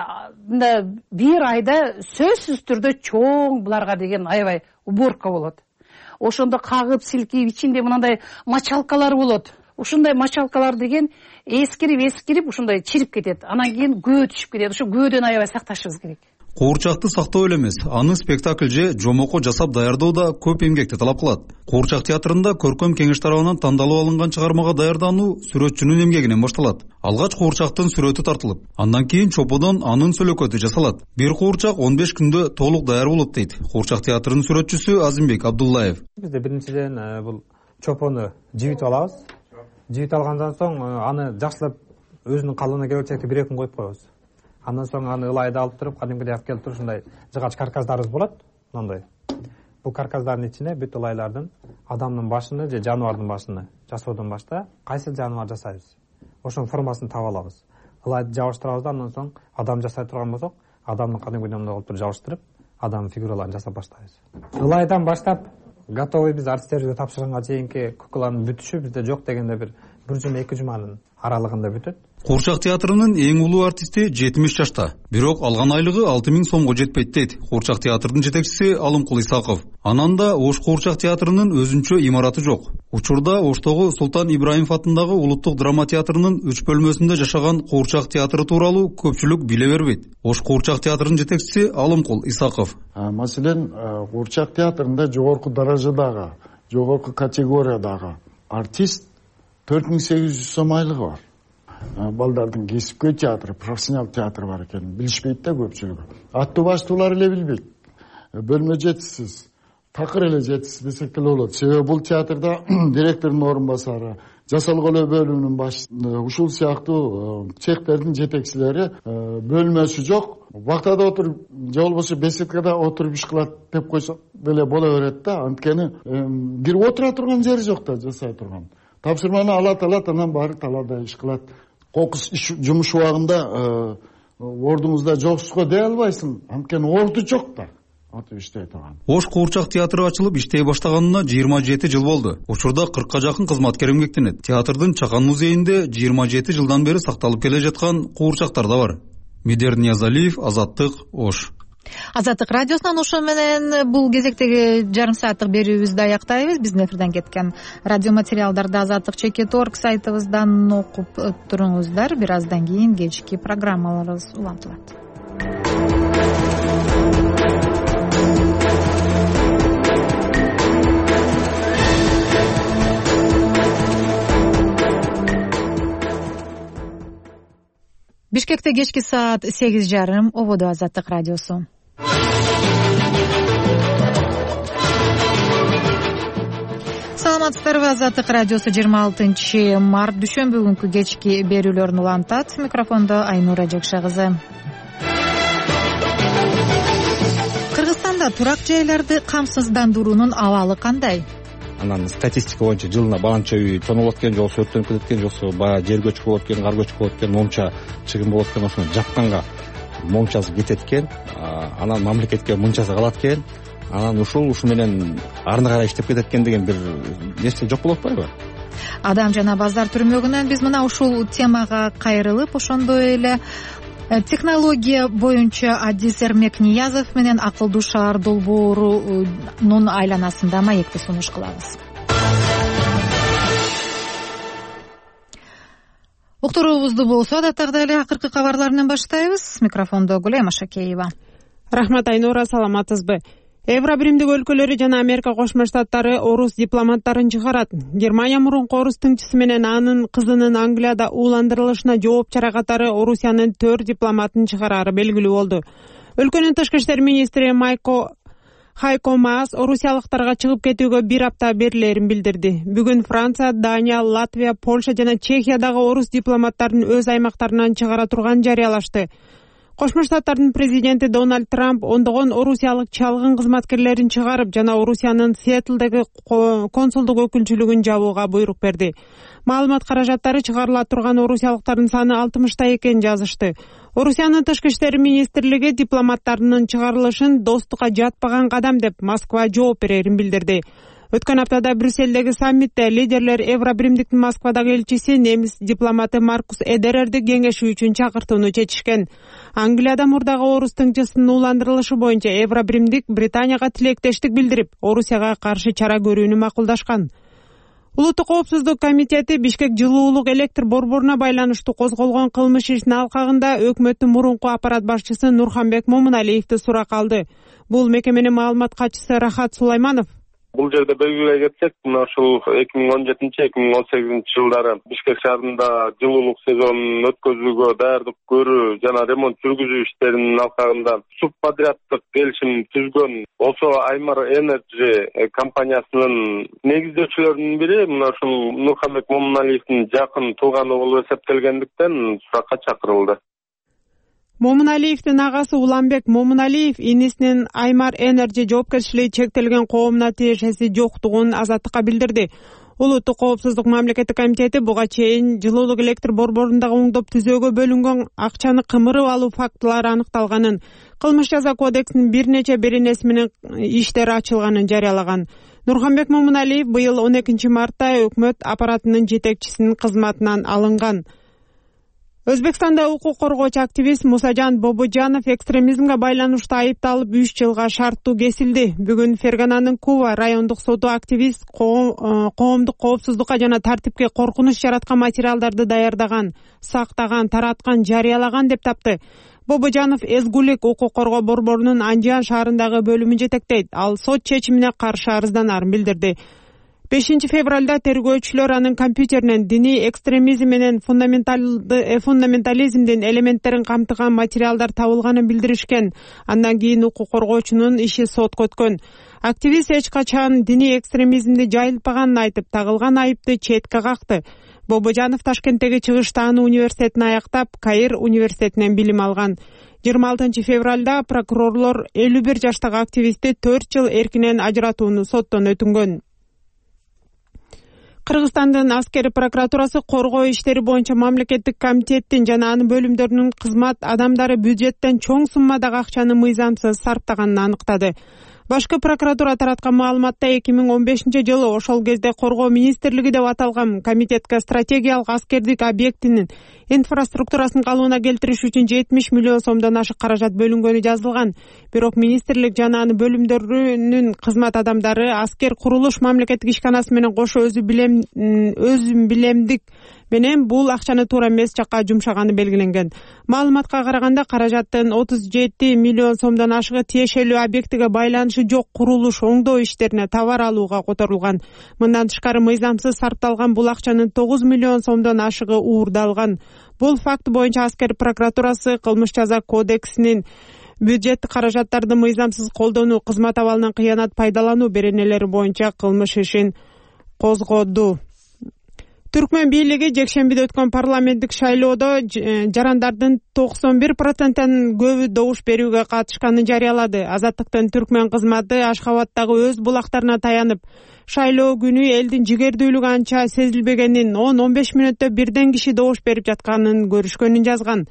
мындай бир айда сөзсүз түрдө чоң буларга деген аябай уборка болот. Ошондо кагып, силкип, ичинде мындай мочалкалар болот. Ушундай мочалкалар деген эскирип-эскирип ушундай чирип кетет. Анан кийин көө түшүп кетет. Ошо көөдөн аябай сакташыбыз керек. Куурчакты сактоо эле эмес, аны спектакль же жомоко жасап даярдоо да көп эмгекти талап кылат. Куурчак театрында көркөм кеңеш тарабынан тандалып алынган чыгармага даярдануу сүрөтчүнүн эмгегинен башталат. Алгач куурчактын сүрөтү тартылып, андан кийин чоподон анын сөлөкөтү жасалат. Бир куурчак он беш күндө толук даяр болот дейт Куурчак театрынын сүрөтчүсү Азимбек Абдуллаев. Бизде биринчиден бул чопону жибитип алабыз. Жибитип алгандан соң аны жакшылап өзүнүн калыбына келчекти бир эки күн коюп коебуз. Андан соң аны ылайда алып туруп, кадимкидей алып келип туруп ушундай жыгач каркастарыбыз болот. Мындай. Бул каркастардын ичине бүт ылайлардын адамдын башыны же жаныбардын башыны жасоодон башта кайсы жаныбар жасайбыз. Ошонун формасын таап алабыз. Ылайды жабыштырабыз да, андан соң адам жасай турган болсок, адамдын кадимкидей мындай кылып туруп жабыштырып, адамдын фигураларын жасап баштайбыз. Ылайдан баштап готовый биз артисттерибизге тапшырганга чейинки кукланын бүтүшү бизде жок дегенде бир бир жума эки жуманын аралыгында бүтөт. Куурчак театрынын эң улуу артисти жетимиш жашта, бирок алган айлыгы алты миң сомго жетпейт дейт Куурчак театрынын жетекчиси Алымкул Исаков. Анан да Ош Куурчак театрынын өзүнчө имараты жок. Учурда Оштогу Султан Ибраимов атындагы улуттук драма театрынын үч бөлмөсүндө жашаган Куурчак театры тууралуу көпчүлүк биле бербейт. Ош Куурчак театрынын жетекчиси Алымкул Исаков. Маселен, Куурчак театрында жогорку даражадагы, жогорку категориядагы артист төрт миң сегиз жүз сом айлыгы бар. Балдардын кесипкөй театры, профессионал театры бар экенин билишпейт да көпчүлүгү. Аттуу баштуулар эле билбейт. Бөлмө жетишсиз, такыр эле жетишсиз десек деле болот. Себеби бул театрда директордун орун басары, жасалган бөлүмүнүн башчысы, ушул сыяктуу цехтердин жетекчилери бөлмөсү жок. Вактада отуруп, же болбосо беседкада отуруп иш кылат деп койсок деле боло берет да. Анткени кирип отура турган жери жок да, жасай турган. Тапшырманы алат алат, анан баары талаада иш кылат. Кокус жумуш убагында ордуңузда жоксузго дей албайсың, анткени орду жок да. Отуп иштей турган. Ош Куурчак театры ачылып иштей баштаганына жыйырма жети жыл болду. Учурда кыркка жакын кызматкер эмгектенет. Театрдын Чакан музейинде жыйырма жети жылдан бери сакталып келе жаткан куурчактар да бар. Медер Ниязалиев, Азаттык, Ош. Азаттык радиосунан ошо менен бул кезектеги жарым сааттык берүүбүздү аяктайбыз. Биздин эфирден кеткен радио материалдарды азаттык чекит точка орг сайтыбыздан окуп туруңуздар. Бир аздан кийин кечки программаларыбыз улантылат. Бишкекте кечки саат сегиз жарым. Ободо Азаттык радиосу. Саламатсыздарбы? Азаттык радиосу жыйырма алтынчы март дүйшөмбү күнкү кечки берүүлөрүн улантат. Микрофондо Айнура Жекше кызы. Кыргызстанда турак жайларды камсыздандыруунун абалы кандай? Анан статистика боюнча жылына баланча үй тоноолот экен, жоксо өрттөнүп кетет экен, жоксо баягы жер көчкү болот экен, кар көчкү болот экен, момча чыгым болот экен, ошону жапканга момчасы кетет экен, анан мамлекетке мынчасы калат экен, анан ушул ушу менен арны карай иштеп кетет экен деген бир нерсе жок болуп атпайбы? Адам жана базар түрмөгүнөн биз мына ушул темага кайрылып, ошондой эле технология боюнча Адис Эрмекниязов менен акылдуу шаар долбоорунун айланасында маекти сунуш кылабыз. Уктуруубузду болсо адаттагыдай эле акыркы кабарларынан баштайбыз. Микрофондо Гүлай Машакеева. Рахмат Айнура, саламатсызбы? Евробиримдик өлкөлөрү жана Америка Кошмо Штаттары орус дипломаттарын чыгарат. Германия мурунку орус тыңчысы менен анын кызынын Англияда ууландырылышына жооп чара катары Орусиянын төрт дипломатын чыгарары белгилүү болду. Өлкөнүн тышкы иштер министри Майко Хайко Маас орусиялыктарга чыгып кетүүгө бир апта берилерин билдирди. Бүгүн Франция, Дания, Латвия, Польша жана Чехиядагы орус дипломаттарын өз аймактарынан чыгара турганын жарыялашты. Кошмо Штаттардын президенти Дональд Трамп ондогон орусиялык чалгын кызматкерлерин чыгарып жана Орусиянын Сиэтлдеги консулдук өкүлчүлүгүн жабууга буйрук берди. Маалымат каражаттары чыгарыла турган орусиялыктардын саны алтымышта экенин жазышты. Орусиянын тышкы иштер министрлиги дипломаттарынын чыгарылышын достукка жатпаган кадам деп Москва жооп берерин билдирди. Өткөн аптада Брюсселдеги саммитте лидерлер Евробиримдиктин Москвадагы элчиси немис дипломаты Маркус Эдерерди кеңешүү үчүн чакыртууну чечишкен. Англияда мурдагы орус тыңчысынын ууландырылышы боюнча Евробиримдик Британияга тилектештик билдирип, Орусияга каршы чара көрүүнү макулдашкан. Улуттук коопсуздук комитети Бишкек жылуулук электр борборуна байланыштуу козголгон кылмыш ишинин алкагында өкмөттүн мурунку аппарат башчысы Нурханбек Момуналиевди суракка алды. Бул мекеменин маалымат катчысы Рахат Сулайманов Бул жерде белгилей кетсек, мына ушул эки миң он жетинчи эки миң он сегизинчи жылдары Бишкек шаарында жылуулук сезонун өткөзүүгө даярдык көрүү жана ремонт жүргүзүү иштеринин алкагында субподряддык келишим түзгөн болсо Аймар Энерджи компаниясынын негиздөөчүлөрүнүн бири мына ушул Нурханбек Момуналиевдин жакын тууганы болуп эсептелгендиктен суракка чакырылды. Момуналиевдин агасы Уланбек Момуналиев инисинин Аймар Энерджи жоопкерчилиги чектелген коомуна тиешеси жоктугун Азаттыкка билдирди. Улуттук коопсуздук мамлекеттик комитети буга чейин жылуулук электр борборундагы оңдоп түзөөгө бөлүнгөн акчаны кымырып алуу фактылары аныкталганын, кылмыш жаза кодексинин бир нече беренеси менен иштер ачылганын жарыялаган. Нурханбек Момуналиев быйыл он экинчи мартта өкмөт аппаратынын жетекчисинин кызматынан алынган. Өзбекстанда укук коргоочу активист Мусажан Бобожанов экстремизмге байланыштуу айыпталып үч жылга шарттуу кесилди. Бүгүн Фергананын Кува райондук соту активист коомдук коопсуздукка жана тартипке коркунуч жараткан материалдарды даярдаган, сактаган, тараткан, жарыялаган деп тапты. Бобожанов Эзгулик укук коргоо борборунун Анжан шаарындагы бөлүмүн жетектейт. Ал сот чечимине каршы арызданарын билдирди. бешинчи февралда тергөөчүлөр анын компьютеринен диний экстремизм менен фундаментализмдин элементтерин камтыган материалдар табылганын билдиришкен. Андан кийин укук коргоочунун иши сотко өткөн. Активист эч качан диний экстремизмди жайылтпаганын айтып, тагылган айыпты четке какты. Бобожанов Ташкенттеги Чыгыш Тааны университетин аяктап, Каир университетинен билим алган. жыйырма алтынчы февралда прокурорлор элүү бир жаштагы активистти төрт жыл эркинен ажыратууну соттон өтүнгөн. Кыргызстандын аскери прокуратурасы коргоо иштери боюнча мамлекеттик комитеттин жана анын бөлүмдөрүнүн кызмат адамдары бюджеттен чоң суммадагы акчаны мыйзамсыз сарптаганын аныктады. Башкы прокуратура тараткан маалыматта эки миң он бешинчи жылы ошол кезде Коргоо министрлиги деп аталган комитетке стратегиялык аскердик объектинин инфраструктурасын калыбына келтириш үчүн жетимиш миллион сомдон ашык каражат бөлүнгөнү жазылган. Бирок министрлик жана анын бөлүмдөрүнүн кызмат адамдары аскер курулуш мамлекеттик ишканасы менен кошо өзү билем өзүн билемдик менен бул акчаны туура эмес жакка жумшаганы белгиленген. Маалыматка караганда каражаттын отуз жети миллион сомдон ашыгы тиешелүү объектиге байланышы жок курулуш оңдоо иштерине товар алууга которулган. Мындан тышкары мыйзамсыз сарпталган бул акчанын тогуз миллион сомдон ашыгы уурдалган. Бул факт боюнча Аскер прокуратурасы кылмыш жаза кодексинин бюджеттик каражаттарды мыйзамсыз колдонуу, кызмат абалынан кыянат пайдалануу беренелери боюнча кылмыш ишин козгоду. Түркмөн бийлиги жекшембиде өткөн парламенттик шайлоодо жарандардын токсон бир проценттен көбү добуш берүүгө катышканын жарыялады. Азаттыктын Түркмөн кызматы Ашхабадтагы өз булактарына таянып, шайлоо күнү элдин жигердүүлүгү анча сезилбегенин, он он беш мүнөттө бирден киши добуш берип жатканын көрүшкөнүн жазган.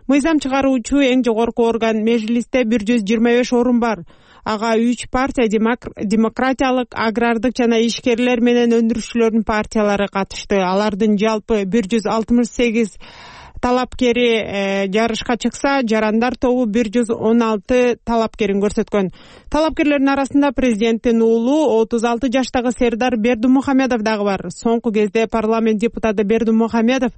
Мыйзам чыгаруучу эң жогорку орган Межлисте бир жүз жыйырма беш орун бар. Ага үч партия демократиялык, агрардык жана ишкерлер менен өндүрүшчүлөрдүн партиялары катышты. Алардын жалпы бир жүз алтымыш сегиз талапкери жарышка чыкса, жарандар тобу бир жүз он алты талапкерин көрсөткөн. Талапкерлердин арасында президенттин уулу отуз алты жаштагы Сердар Бердимухамедов дагы бар. Соңку кезде парламент депутаты Бердимухамедов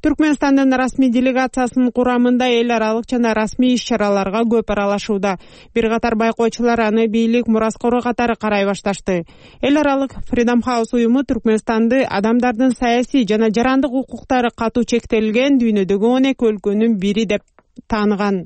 Түркмөнстандын расмий делегациясынын курамында эл аралык жана расмий иш-чараларга көп аралашууда. Бир катар байкоочулар аны бийлик мураскору катары карай башташты. Эл аралык Freedom House уюму Түркмөнстанды адамдардын саясий жана жарандык укуктары катуу чектелген дүйнөдөгү он эки өлкөнүн бири деп тааныган.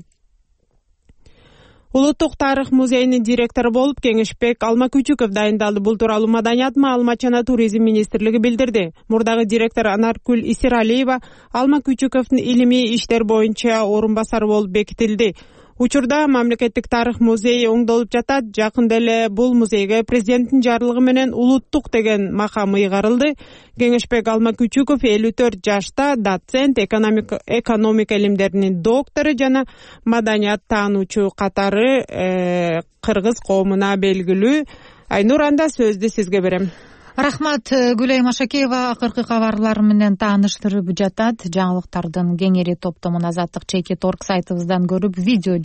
Улуттук тарых музейинин директору болуп Кеңешбек Алмакүчүков дайындалды. Бул тууралуу Маданият, маалымат жана туризм министрлиги билдирди. Мурдагы директор Анаркүл Исиралиева Алмакүчүковдун илимий иштер боюнча орун басары болуп бекитилди. Учурда мамлекеттик тарых музейи оңдолуп жатат. Жакында эле бул музейге президенттин жарлыгы менен улуттук деген макам ыйгарылды. Кеңешбек Алмакүчүков элүү төрт жашта, доцент, экономика, экономика илимдеринин доктору жана маданият таануучу катары э, кыргыз коомуна белгилүү. Айнур, анда сөздү сизге берем. Рахмат, Гүлай Машакеева акыркы кабарлар менен тааныштырып жатат. Жаңылыктардын кеңири топтомун Азаттык чекит точка орг сайтыбыздан көрүп, видео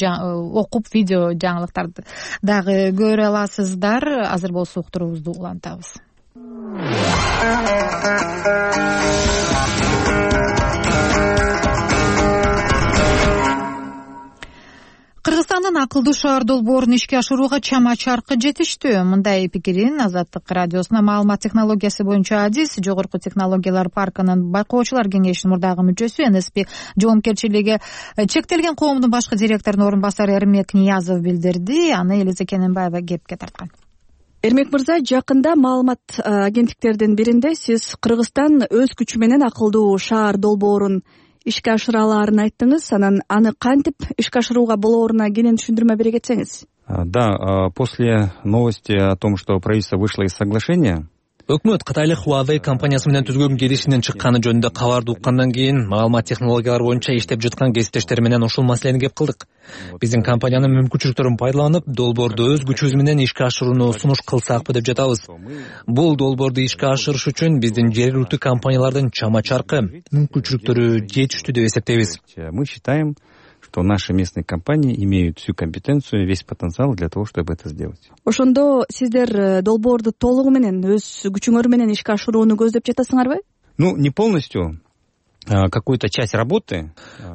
окуп, видео жаңылыктарды дагы көрө аласыздар. Азыр болсо уктуруубузду улантабыз. Кыргызстандын акылдуу шаар долбоорун ишке ашырууга чама чаркы жетиштүү. Мындай пикирин Азаттык радиосуна маалымат технологиясы боюнча адис Жогорку технологиялар паркынын байкоочулар кеңешинин мурдагы мүчөсү эн эс пи жоопкерчилиги чектелген коомдун башкы директорунун орун басары Эрмек Ниязов билдирди. Аны Элиза Кененбаева кепке тарткан. Эрмек мырза, жакында маалымат агенттиктердин биринде сиз Кыргызстан өз күчү менен акылдуу шаар долбоорун ишке ашыра алаарын айттыңыз. Анан аны кантип ишке ашырууга болооруна кенен түшүндүрмө бере кетсеңиз. Да, после новости о том, что правительство вышло из соглашения, Өкмөт Кытайлык Huawei компаниясы менен түзгөн келишимден чыкканы жөнүндө кабарды уккандан кийин маалымат технологиялары боюнча иштеп жаткан кесиптештер менен ушул маселени кеп кылдык. Биздин компаниянын мүмкүнчүлүктөрүн пайдаланып, долбоорду өз күчүбүз менен ишке ашырууну сунуш кылсакпы деп жатабыз. Бул долбоорду ишке ашырыш үчүн биздин жергиликтүү компаниялардын чама чаркы мүмкүнчүлүктөрү жетиштүү деп эсептейбиз. Мы считаем, что наши местные компании имеют всю компетенцию, весь потенциал для того, чтобы это сделать. Ошондо сиздер долбоорду толугу менен өз күчүңөр менен ишке ашырууну көздөп жатасыңарбы? Ну, не полностью. Какую-то часть работы.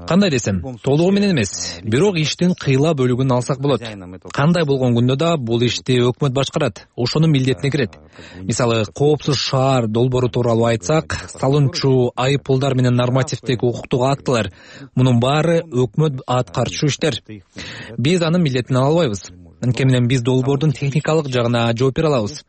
Кандай десем, толугу менен эмес, бирок иштин кыйла бөлүгүн алсак болот. Кандай болгон күндө да бул ишти өкмөт башкарат, ошонун милдетине кирет. Мисалы, коопсуз шаар долбоору тууралуу айтсак, салымчу, айыппулдар менен нормативдик укуктук актылар, мунун баары өкмөт аткарчу иштер. Биз анын милдетин ала албайбыз. Анткени менен биз долбоордун техникалык жагына жооп бере алабыз.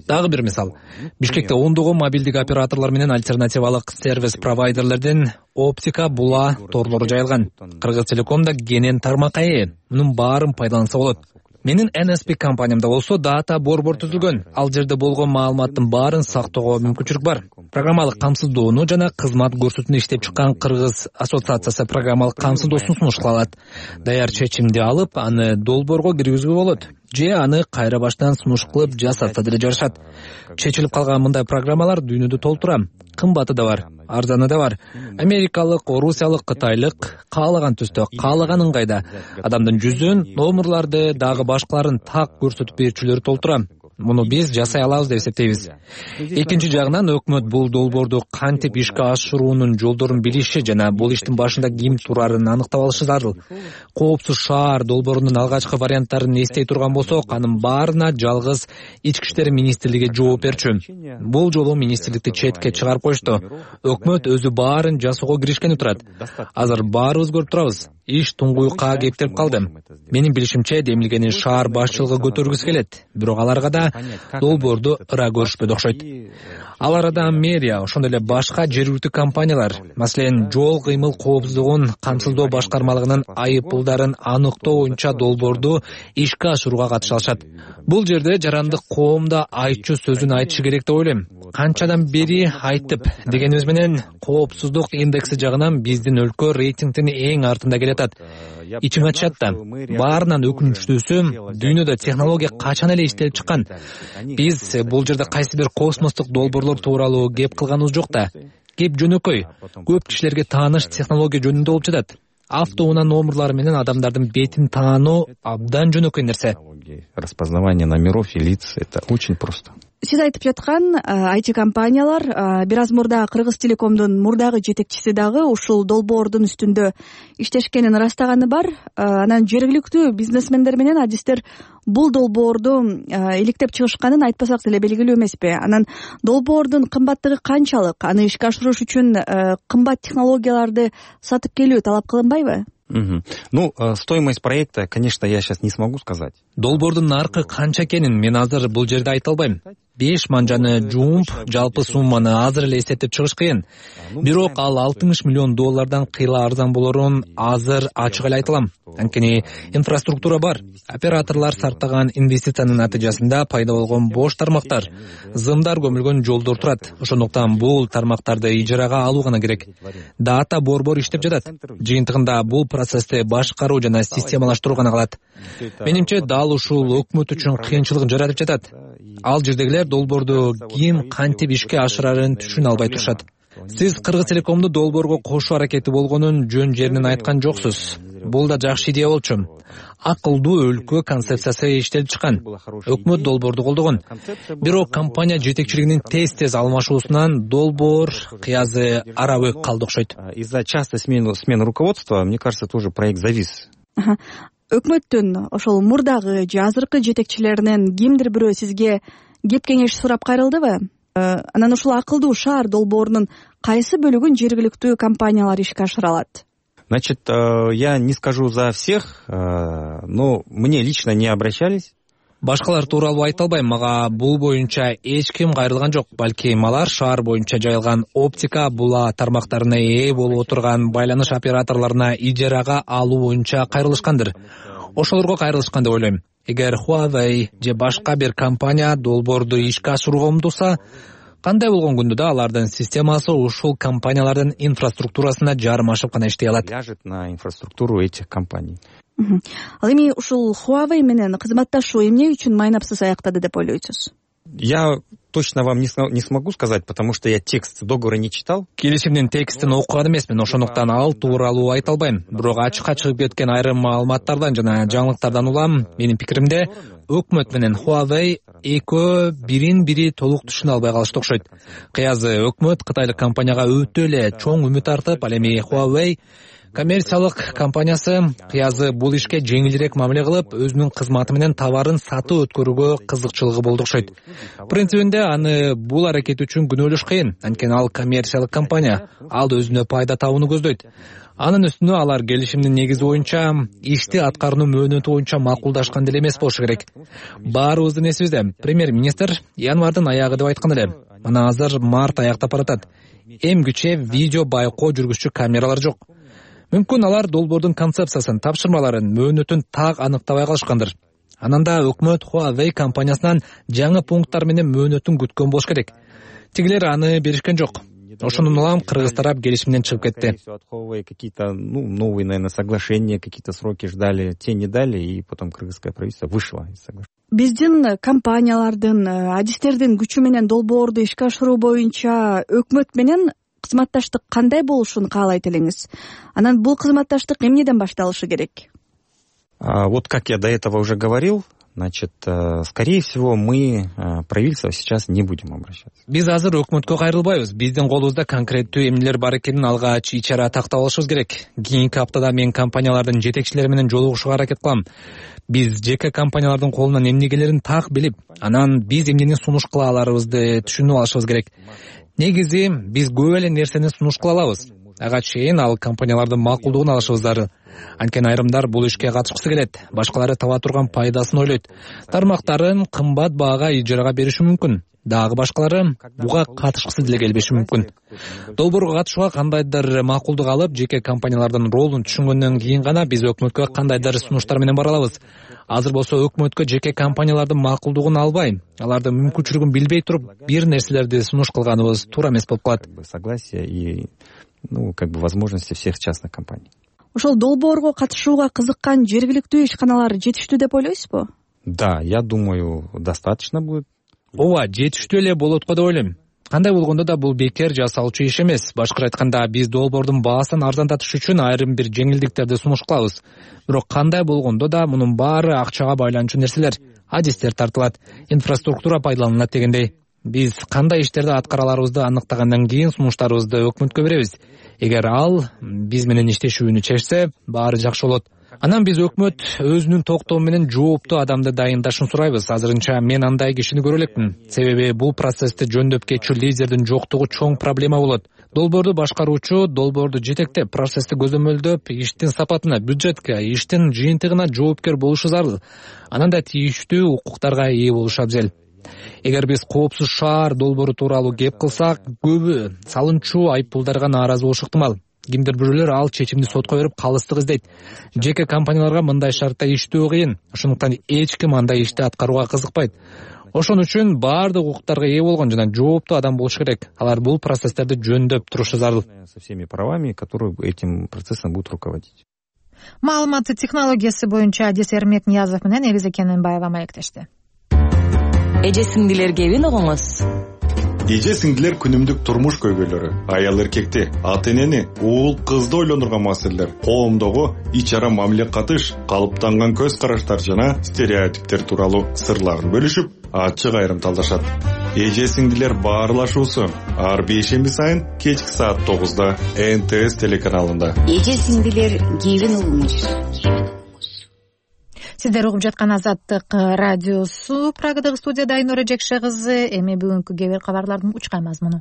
Дагы бир мисал, Бишкекте ондогон мобилдик операторлор менен альтернативалык сервис провайдерлердин оптика була торлору жайылган. Кыргыз Телекомдо кенен тармак ээ, мунун баарын пайдаланса болот. Менин эн эс пи компаниямда болсо дата борбор түзүлгөн. Ал жерде болгон маалыматтын баарын сактоого мүмкүнчүлүк бар. Программалык камсыздоону жана кызмат көрсөтүүнү иштеп чыккан Кыргыз ассоциациясы программалык камсыздоосун сунуш кыла алат. Даяр чечимди алып, аны долбоорго киргизүүгө болот. же аны кайра баштан сунуш кылып жасатса деле жарышат. Чечилип калган мындай программалар дүйнөдө толтура. Кымбаты да бар, арзаны да бар. Америкалык, орусиялык, кытайлык каалаган түстө, каалаган ыңгайда адамдын жүзүн, номерларды дагы башкаларын так көрсөтүп берүүчүлөр толтура. Муну биз жасай алабыз деп эсептейбиз. Экинчи жагынан өкмөт бул долбоорду кантип ишке ашыруунун жолдорун билиши жана бул иштин башында ким турарын аныктап алышы зарыл. Коопсуз шаар долбоорунун алгачкы варианттарын эстей турган болсок, анын баарына жалгыз Ички иштер министрлиги жооп берчү. Бул жолу министрликти четке чыгарып коюшту. Өкмөт өзү баарын жасоого киришкени турат. Азыр баарыбыз көрүп турабыз. Иш туңгуюкка кептелип калды. Менин билишимче, демилгени шаар башчылыгы көтөргүсү келет. Бирок аларга да долбоорду ыра көрүшпөдү окшойт. Ал арада мэрия, ошондой эле башка жергиликтүү компаниялар, маселен, жол кыймыл коопсуздугун камсыздоо башкармалыгынын айыппулдарын аныктоо боюнча долбоорду ишке ашырууга катыша алышат. Бул жерде жарандык коом да айтчу сөзүн айтышы керек деп ойлойм. Канчадан бери айтып дегенибиз менен коопсуздук индекси жагынан биздин өлкө рейтингдин эң артында келатат. Ичиң ачат да. Баарынан өкүнүчтүүсү, дүйнөдө технология качан эле иштелип чыккан. Биз бул жерде кайсы бир космостук долбоорлор тууралуу кеп кылганыбыз жок да. Кеп жөнөкөй, көп кишилерге тааныш технология жөнүндө болуп жатат. Автоунаа номерлары менен адамдардын бетин таануу абдан жөнөкөй нерсе. Распознавание номеров и лиц — это очень просто. Сиз айтып жаткан ай ти компаниялар бир аз мурда Кыргыз Телекомдун мурдагы жетекчиси дагы ушул долбоордун үстүндө иштешкенин ырастаганы бар. Анан жергиликтүү бизнесмендер менен адистер бул долбоорду иликтеп чыгышканын айтпасак деле белгилүү эмеспи? Анан долбоордун кымбаттыгы канчалык? Аны ишке ашырыш үчүн кымбат технологияларды сатып келүү талап кылынбайбы? Угу. Ну, стоимость проекта, конечно, я сейчас не смогу сказать. Долбоордун наркы канча экенин мен азыр бул жерде айта албайм. беш манжаны жууп, жалпы сумманы азыр эле эсептеп чыгыш кыйын. Бирок ал алтымыш миллион доллардан кыйла арзан болорун азыр ачык эле айта алам. Анткени инфраструктура бар. Операторлор сарптаган инвестициянын натыйжасында пайда болгон бош тармактар, зымдар көмүлгөн жолдор турат. Ошондуктан бул тармактарды ижарага алуу гана керек. Дата борбор иштеп жатат. Жыйынтыгында бул процессти башкаруу жана системалаштыруу гана калат. Менимче дал ушул өкмөт үчүн кыйынчылык жаратып жатат. Ал жердегилер долбоорду ким кантип ишке ашырарын түшүнө албай турушат. Сиз Кыргыз Телекомду долбоорго кошуу аракети болгонун жөн жеринен айткан жоксуз. Бул да жакшы идея болчу. Акылдуу өлкө концепциясы иштелип чыккан. Өкмөт долбоорду колдогон. Бирок компания жетекчилигинин тез-тез алмашуусунан долбоор кыязы арабөк калды окшойт. Из-за частой смены смены руководства, мне кажется, тоже проект завис. Өкмөттүн ошол мурдагы же азыркы жетекчилеринен кимдир бирөө сизге кеп кеңеш сурап кайрылдыбы? Анан ушул акылдуу шаар долбоорунун кайсы бөлүгүн жергиликтүү компаниялар ишке ашыра алат? Значит, я не скажу за всех, но мне лично не обращались. Башкалар тууралуу айта албайм, мага бул боюнча эч ким кайрылган жок. Балким алар шаар боюнча жайылган оптика була тармактарына ээ болуп отурган байланыш операторлоруна ижарага алуу боюнча кайрылышкандыр. Ошолорго кайрылышкан деп ойлойм. Эгер Huawei же башка бир компания долбоорду ишке ашырууга умтулса, кандай болгон күндө да алардын системасы ушул компаниялардын инфраструктурасына жармашып гана иштей алат. Ляжет на инфраструктуру этих компаний. Ал эми ушул Huawei менен кызматташуу эмне үчүн майнапсыз аяктады деп ойлойсуз? Я точно вам не смогу сказать, потому что я текст договора не читал. Келишимдин текстин окуган эмесмин, ошондуктан ал тууралуу айта албайм. Бирок ачыкка чыгып кеткен айрым маалыматтардан жана жаңылыктардан улам, менин пикиримде, өкмөт менен Huawei экөө бирин бири толук түшүнө албай калышты окшойт. Кыязы өкмөт кытайлык компанияга өтө эле чоң үмүт артып, ал эми Huawei коммерциялык компаниясы кыязы бул ишке жеңилирээк мамиле кылып, өзүнүн кызматы менен товарын сатып өткөрүүгө кызыкчылыгы болду окшойт. Принцибинде аны бул аракет үчүн күнөөлөш кыйын, анткени ал коммерциялык компания, ал өзүнө пайда табууну көздөйт. Анын үстүнө алар келишимдин негизи боюнча ишти аткаруу мөөнөтү боюнча макулдашкан деле эмес болушу керек. Баарыбыздын эсибизде, премьер-министр январдын аягы деп айткан эле. Мына азыр март аяктап баратат. Эмгиче видео байкоо жүргүзчү камералар жок. Мүмкүн алар долбоордун концепциясын, тапшырмаларын, мөөнөтүн так аныктабай калышкандыр. Анан да өкмөт Huawei компаниясынан жаңы пункттар менен мөөнөтүн күткөн болуш керек. Тигилер аны беришкен жок. ошондон улам кыргыз тарап келишимден чыгып кетти. Какие-то, ну, новые, наверное, соглашения, какие-то сроки ждали, те не дали, и потом кыргызское правительство вышло из соглашения. Биздин компаниялардын, адистердин күчү менен долбоорду ишке ашыруу боюнча өкмөт менен кызматташтык кандай болушун каалайт элеңиз? Анан бул кызматташтык эмнеден башталышы керек? А, вот как я до этого уже говорил, значит, скорее всего, мы правительство сейчас не будем обращаться. Биз азыр өкмөткө кайрылбайбыз. Биздин колубузда конкреттүү эмнелер бар экенин алгач ичара тактап алышыбыз керек. Кийинки аптада мен компаниялардын жетекчилери менен жолугушууга аракет кылам. Биз жеке компаниялардын колунан эмнегелерин так билип, анан биз эмнени сунуш кыла аларыбызды түшүнүп алышыбыз керек. Негизи биз көп эле нерсени сунуш кыла алабыз. Ага чейин ал компаниялардын макулдугун алышыбыз зарыл. Анткени айрымдар бул ишке катышкысы келет, башкалары таба турган пайдасын ойлойт. Тармактарын кымбат баага ижарага бериши мүмкүн. Дагы башкалары буга катышкысы деле келбеши мүмкүн. Долбоорго катышууга кандайдыр макулдук алып, жеке компаниялардын ролун түшүнгөндөн кийин гана биз өкмөткө кандайдыр сунуштар менен бара алабыз. Азыр болсо өкмөткө жеке компаниялардын макулдугун албай, алардын мүмкүнчүлүгүн билбей туруп, бир нерселерди сунуш кылганыбыз туура эмес болуп калат. Согласие и, ну, как бы возможности всех частных компаний. Ошол долбоорго катышууга кызыккан жергиликтүү ишканалар жетиштүү деп ойлойсузбу? Да, я думаю, достаточно будет. Ооба, жетиштүү эле болот го деп ойлойм. Кандай болгондо да бул бекер жасалчу иш эмес. Башкача айтканда, биз долбоордун баасын арзандатыш үчүн айрым бир жеңилдиктерди сунуш кылабыз. Бирок кандай болгондо да мунун баары акчага байланчу нерселер. Адистер тартылат, инфраструктура пайдаланылат дегендей. Биз кандай иштерди аткара аларыбызды аныктагандан кийин сунуштарыбызды өкмөткө беребиз. Эгер ал биз менен иштешүүнү чечсе, баары жакшы болот. Анан биз өкмөт өзүнүн токтоо менен жооптуу адамды дайындашын сурайбыз. Азырынча мен андай кишини көрө элекмин. Себеби бул процессти жөндөп кетчү лидердин жоктугу чоң проблема болот. Долбоорду башкаруучу, долбоорду жетектеп, процессти көзөмөлдөп, иштин сапатына, бюджетке, иштин жыйынтыгына жоопкер болушу зарыл. Анан да тийиштүү укуктарга ээ болушу абзел. Эгер биз коопсуз шаар долбоору тууралуу кеп кылсак, көбү салынчу айыппулдарга нааразы болушу ыктымал. Кимдир бирөөлөр ал чечимди сотко берип калыстык издейт. Жеке компанияларга мындай шартта иштөө кыйын. Ошондуктан эч ким андай ишти аткарууга кызыкпайт. Ошон үчүн баардык укуктарга ээ болгон жана жооптуу адам болуш керек. Алар бул процесстерди жөндөп турушу зарыл. Со всеми правами, которые этим процессом будут руководить. Маалымат технологиясы боюнча адис Эрмек Ниязов менен Элиза Кененбаева маектешти. Эже сиңдилер кебин угуңуз. Эже сиңдилер күнүмдүк турмуш көйгөйлөрү, аял эркекти, ата энени, уул кызды ойлондурган маселелер, коомдогу ич-ара мамиле катыш, калыптанган көз караштар жана стереотиптер тууралуу сырларын бөлүшүп, ачык айрымталдашат. Эже сиңдилер баарлашуусу ар бейшемби сайын кечки саат тогузда эн тэ эс телеканалында. Эже сиңдилер кебин угуңуз. Сиздер угуп жаткан Азаттык радиосу. Прагадагы студияда Айнура Жекше кызы. Эми бүгүнкү кээ бир кабарлардын учкай мазмуну.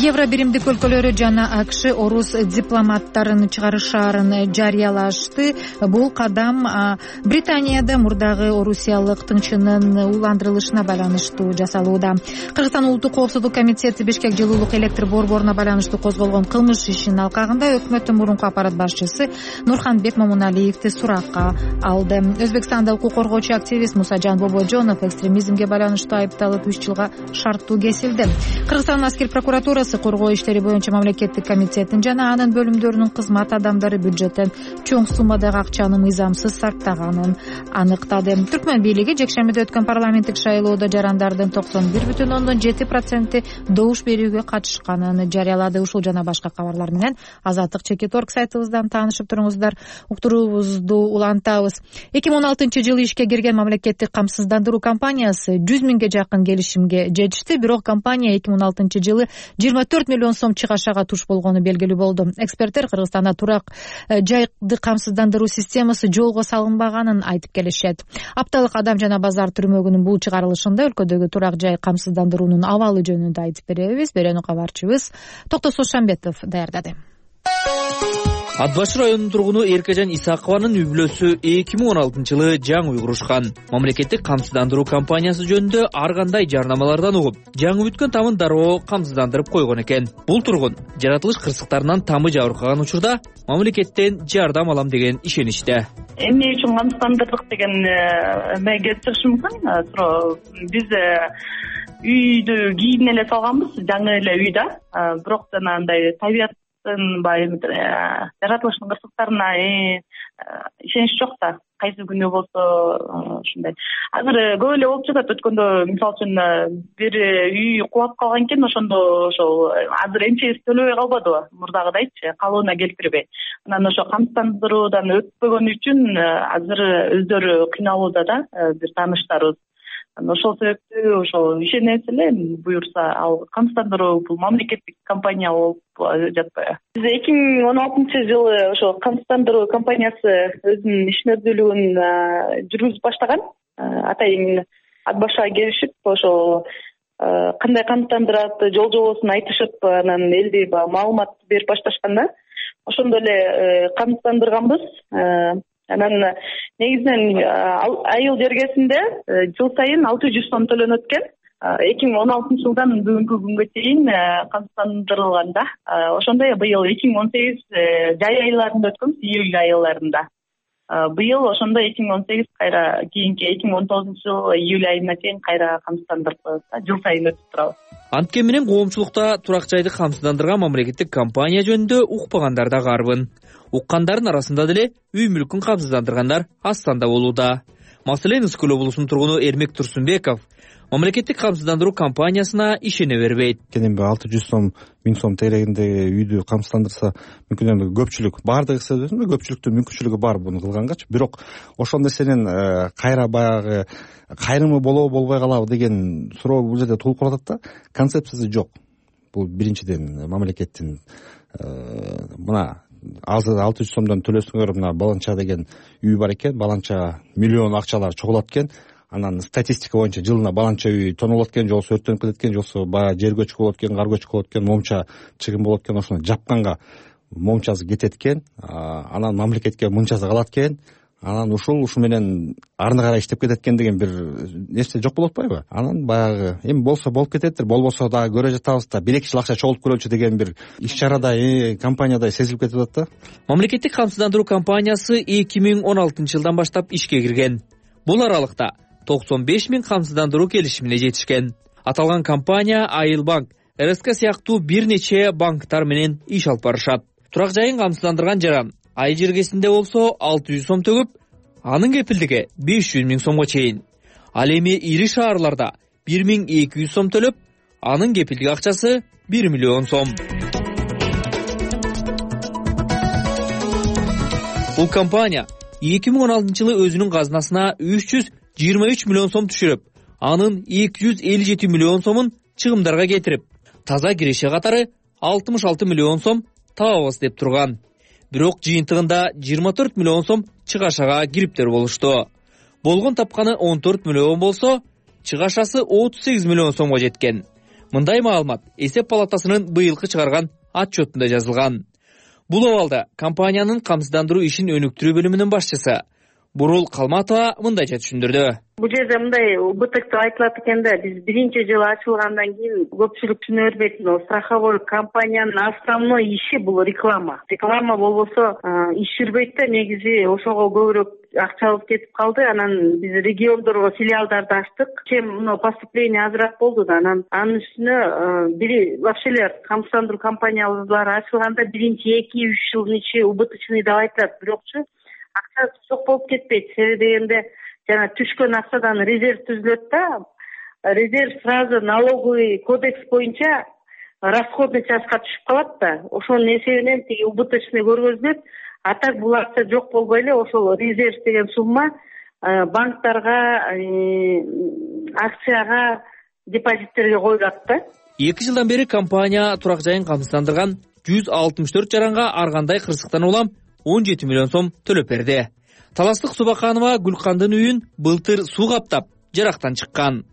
Евро биримдик өлкөлөрү жана АКШ орус дипломаттарын чыгарышаарын жарыялашты. Бул кадам Британияда мурдагы орусиялык тыңчынын уландырылышына байланыштуу жасалууда. Кыргызстан улуттук коопсуздук комитети Бишкек жылуулук электр борборуна байланыштуу козголгон кылмыш ишинин алкагында өкмөттүн мурунку аппарат башчысы Нурханбек Момуналиевди суракка алды. Өзбекстанда укук коргоочу активист Мусажан Бобожонов экстремизмге байланыштуу айыпталып үч жылга шарттуу кесилди. Кыргызстандын аскер прокуратурасы коргоо иштери боюнча мамлекеттик комитеттин жана анын бөлүмдөрүнүн кызмат адамдары бюджеттен чоң суммадагы акчаны мыйзамсыз сарптаганын аныктады. Түркмөн бийлиги жекшембиде өткөн парламенттик шайлоодо жарандардын токсон бир бүтүн ондон жети проценти добуш берүүгө катышканын жарыялады. Ушул жана башка кабарлар менен Азаттык чекит орг сайтыбыздан таанышып туруңуздар. Уктуруубузду улантабыз. эки миң он алтынчы жылы ишке кирген мамлекеттик камсыздандыруу компаниясы жүз миңге жакын келишимге жетишти. Бирок компания эки миң он алтынчы жылы жыйырма төрт миллион сом чыгашага туш болгону белгилүү болду. Эксперттер Кыргызстанда турак жайды камсыздандыруу системасы жолго салынбаганын айтып келишет. Апталык адам жана базар түрмөгүнүн бул чыгарылышында өлкөдөгү турак жай камсыздандыруунун абалы жөнүндө айтып беребиз. Берүүнү кабарчыбыз Токтосо Шамбетов даярдады. ат башы районунун тургуну Эркежан Исакованын үй бүлөсү эки миң он алтынчы жылы жаңы үй курушкан. Мамлекеттик камсыздандыруу компаниясы жөнүндө ар кандай жарнамалардан угуп, жаңы бүткөн тамын дароо камсыздандырып койгон экен. Бул тургун жаратылыш кырсыктарынан тамы жабыркаган учурда мамлекеттен жардам алам деген ишеничте. Эмне үчүн камсыздандырдык деген эме келип чыгышы мүмкүн. Суроо биз үйдү кийин эле салганбыз, жаңы эле үй да. Бирок жана андай табият баягы жаратылыштын кырсыктарына ишенич жок да. Кайсы күнү болсо ушундай. Азыр көп эле болуп жатат. Өткөндө мисалы үчүн бир үй кулап калган экен, ошондо ошол азыр эмчегиз төлөбөй калбадыбы, мурдагыдайчы, калыбына келтирбей. Анан ошо камсыздандыруудан өтпөгөн үчүн азыр өздөрү кыйналууда да, бир тааныштарыбыз. Ошол себептүү ошол ишенебиз эле, буюрса ал камсыздандыруу бул мамлекеттик компания болуп жатпайбы. Биз эки миң он алтынчы жылы ошол камсыздандыруу компаниясы өзүнүн ишмердүүлүгүн жүргүзүп баштаган. Атайын ат башыга келишип, ошол кандай камсыздандырат, жол жобосун айтышып, анан элди маалымат берип башташкан да. Ошондо эле камсыздандырганбыз. Анан негизинен айыл жергесинде жыл сайын алты жүз сом төлөнөт экен. эки миң он алтынчы жылдан бүгүнкү күнгө чейин камсыздандырылган да. Ошондой быйыл эки миң он сегиз жай айларында өткөнбүз, июль айыларында. Быйыл ошондой эки миң он сегиз кайра кийинки эки миң он тогузунчу жыл июль айына чейин кайра камсыздандырып жыл сайын өтүп турабыз. Анткен менен коомчулукта турак жайды камсыздандырган мамлекеттик компания жөнүндө укпагандар да карбын. Уккандардын арасында деле үй мүлкүн камсыздандыргандар аз санда болууда. Маселен, Ысык Көл облусунун тургуну Эрмек Турсунбеков мамлекеттик камсыздандыруу компаниясына ишене бербейт. Эми алты жүз сом, миң сом тегерегинде үйдү камсыздандырса, мүмкүн эми көпчүлүк баардыгы сезбесин, көпчүлүктүн мүмкүнчүлүгү бар буну кылгангачы. Бирок ошол нерсенин кайра баягы кайрымы болобу болбой калабы деген суроо бул жерде туулуп калат да. Концепциясы жок. Бул биринчиден мамлекеттин мына азыр алты жүз сомдон төлөсүңөр, мына баланча деген үй бар экен, баланча миллион акчалар чогулат экен. Анан статистика боюнча жылына баланча үй тонолот экен, же болбосо өрттөнүп кетет экен, же болбосо баягы жер көчкү болот экен, кар көчкү болот экен, момча чыгым болот экен, ошону жапканга момчасы кетет экен. Анан мамлекетке мынчасы калат экен. Анан ушул ушу менен арны карай иштеп кетет экен деген бир нерсе жок болуп атпайбы? Анан баягы эми болсо болуп кететтир, болбосо дагы көрө жатабыз да, бир эки жыл акча чогултуп көрөлүчү деген бир иш чарада компанияда сезилип кетип атат да. Мамлекеттик камсыздандыруу компаниясы эки миң он алтынчы жылдан баштап ишке кирген. Бул аралыкта токсон беш миң камсыздандыруу келишимине жетишкен. Аталган компания Айылбанк, эр эс ка сыяктуу бир нече банктар менен иш алып барышат. Турак жайын камсыздандырган жаран ай жергесинде болсо алты жүз сом төгүп, анын кепилдиги беш жүз миң сомго чейин. Ал эми ири шаарларда бир миң эки жүз сом төлөп, анын кепилдик акчасы бир миллион сом. Бул компания эки миң он алтынчы жылы өзүнүн казынасына үч жүз жыйырма үч миллион сом түшүрүп, анын эки жүз элүү жети миллион сомун чыгымдарга кетирип, таза киреше катары алтымыш алты миллион сом табабыз деп турган. Бирок жыйынтыгында жыйырма төрт миллион сом чыгашага кириптер болушту. Болгон тапканы он төрт миллион болсо, чыгашасы отуз сегиз миллион сомго жеткен. Мындай маалымат эсеп палатасынын быйылкы чыгарган отчетунда жазылган. Бул абалда компаниянын камсыздандыруу ишин өнүктүрүү бөлүмүнүн башчысы Бурул Калматова мындайча түшүндүрдү. Бул жерде мындай убытык деп айтылат экен да, биз биринчи жылы ачылгандан кийин көпчүлүк түшүнө бербейт. Страховой компаниянын основной иши бул реклама. Реклама болбосо иш жүрбөйт да, негизи ошого көбүрөөк акчабыз кетип калды. Анан биз региондорго филиалдарды ачтык. Чем мына поступление азыраак болду да, анан анын үстүнө бири вообще эле камсыздандыруу компаниялары ачылганда биринчи эки үч жылдын ичи убыточный деп айтылат. Бирокчу акча жок болуп кетпейт. Себеби дегенде жана түшкөн акчадан резерв түзүлөт да. Резерв сразу налоговый кодекс боюнча расходный частька түшүп калат да. Ошонун эсебинен тиги убыточный көргөзүлөт. А так бул акча жок болбой эле ошол резерв деген сумма банктарга, акцияга, депозиттерге коюлат да. эки жылдан бери компания турак жайын камсыздандырган жүз алтымыш төрт жаранга ар кандай кырсыктан улам он жети миллион сом төлөп берди. Таластык Субаканова Гүлкандын үйүн былтыр суу каптап, жарактан чыккан.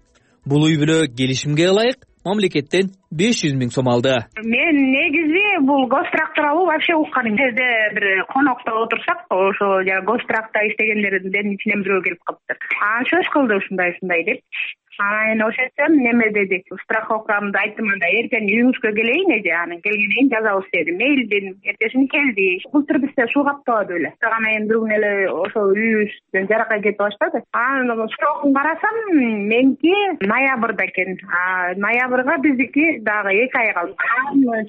Бул үй бүлө келишимге ылайык мамлекеттен беш жүз миң сом алды. Мен негизи бул гострактуралуу вообще уккан эмес. Жерде бир конокто отурсак, ошо жана гостракта иштегендердин ичинен бирөө келип калыптыр. Анан сөз кылды ушундай ушундай деп. Анан ошентсем неме деди, страховкамды айттым, анда эртең үйүңүзгө келейин эже, анан келгенден кийин жазабыз деди. Мейлдин эртесин келди. Былтыр бизде суу каптабады эле. Анан эми бүгүн эле ошо үйүбүздөн жаракай кетип баштады. Анан срокун карасам, меники ноябрда экен. А ноябрга биздики дагы эки ай калды.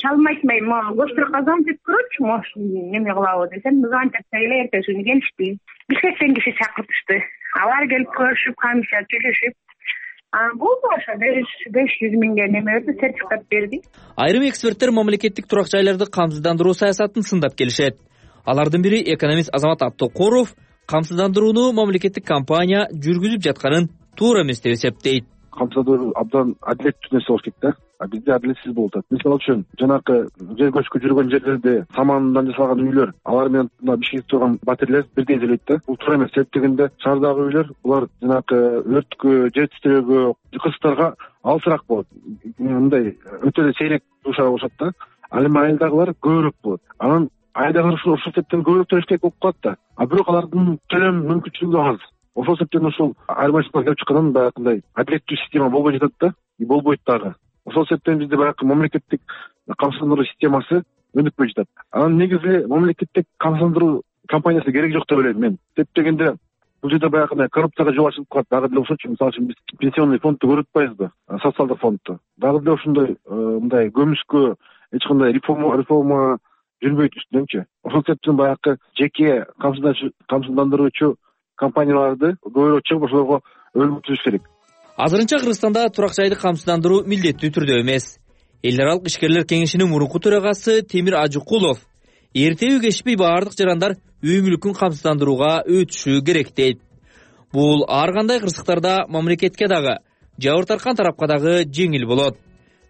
Чалмайтмай, гостракка звонить көрөчү, может, неме кылабы десем, звонить этсе эле эртеси күнү келишти. Бишкектен киши чакыртышты. Алар келип көрүшүп, камча түшүшүп, болду ошо беш жүз миңге неме берди, сертификат берди. Айрым эксперттер мамлекеттик турак жайларды камсыздандыруу саясатын сындап келишет. Алардын бири экономист Азамат Абдыкоров камсыздандырууну мамлекеттик компания жүргүзүп жатканын туура эмес деп эсептейт. Камсыздандыруу абдан адилеттүү нерсе болуш керек да. А бизде адилетсиз болуп атат. Мисалы үчүн жанакы жер көчкү жүргөн жерлерде самандан жасалган үйлөр, алар менен мына Бишкекте турган батирлер бирдей делейт да. Бул туура эмес. Себеп дегенде шаардагы үйлөр булар жанакы өрткө, жер титирөөгө, кырсыктарга алысыраак болот. Мындай өтө эле сейрек дуушар болушат да. Ал эми айылдагылар көбүрөөк болот. Анан айылдагылар ушул себептен көбүрөөк төлөш керек болуп калат да. А бирок алардын төлөм мүмкүнчүлүгү аз. Ошол себептен ушул айырмачылыкка келип чыккандан баягындай адилеттүү система болбой жатат да, и болбойт дагы. Ошол себептен бизде баягы мамлекеттик камсыздандыруу системасы өнүкпөй жатат. Анан негизи мамлекеттик камсыздандыруу компаниясы керек жок деп ойлойм мен. Себеп дегенде бул жерде баягындай коррупцияга жол ачылып калат. Дагы деле ошочу, мисалы үчүн биз пенсионный фондду көрүп атпайбызбы? Социалдык фондду. Дагы деле ошондой мындай көмүскө эч кандай реформа реформа жүрбөйт үстүнөнчү. Ошол себептен баягы жеке камсыздандыруучу компанияларды көбүрөөк чыгып ошолорго өлүм түзүш керек. Азырынча Кыргызстанда турак жайды камсыздандыруу милдеттүү түрдө эмес. Эл аралык ишкерлер кеңешинин мурунку төрагасы Темир Ажыкулов эртеби кечпей баардык жарандар үй мүлкүн камсыздандырууга өтүшү керек дейт. Бул ар кандай кырсыктарда мамлекетке дагы, жабыр тарткан тарапка дагы жеңил болот.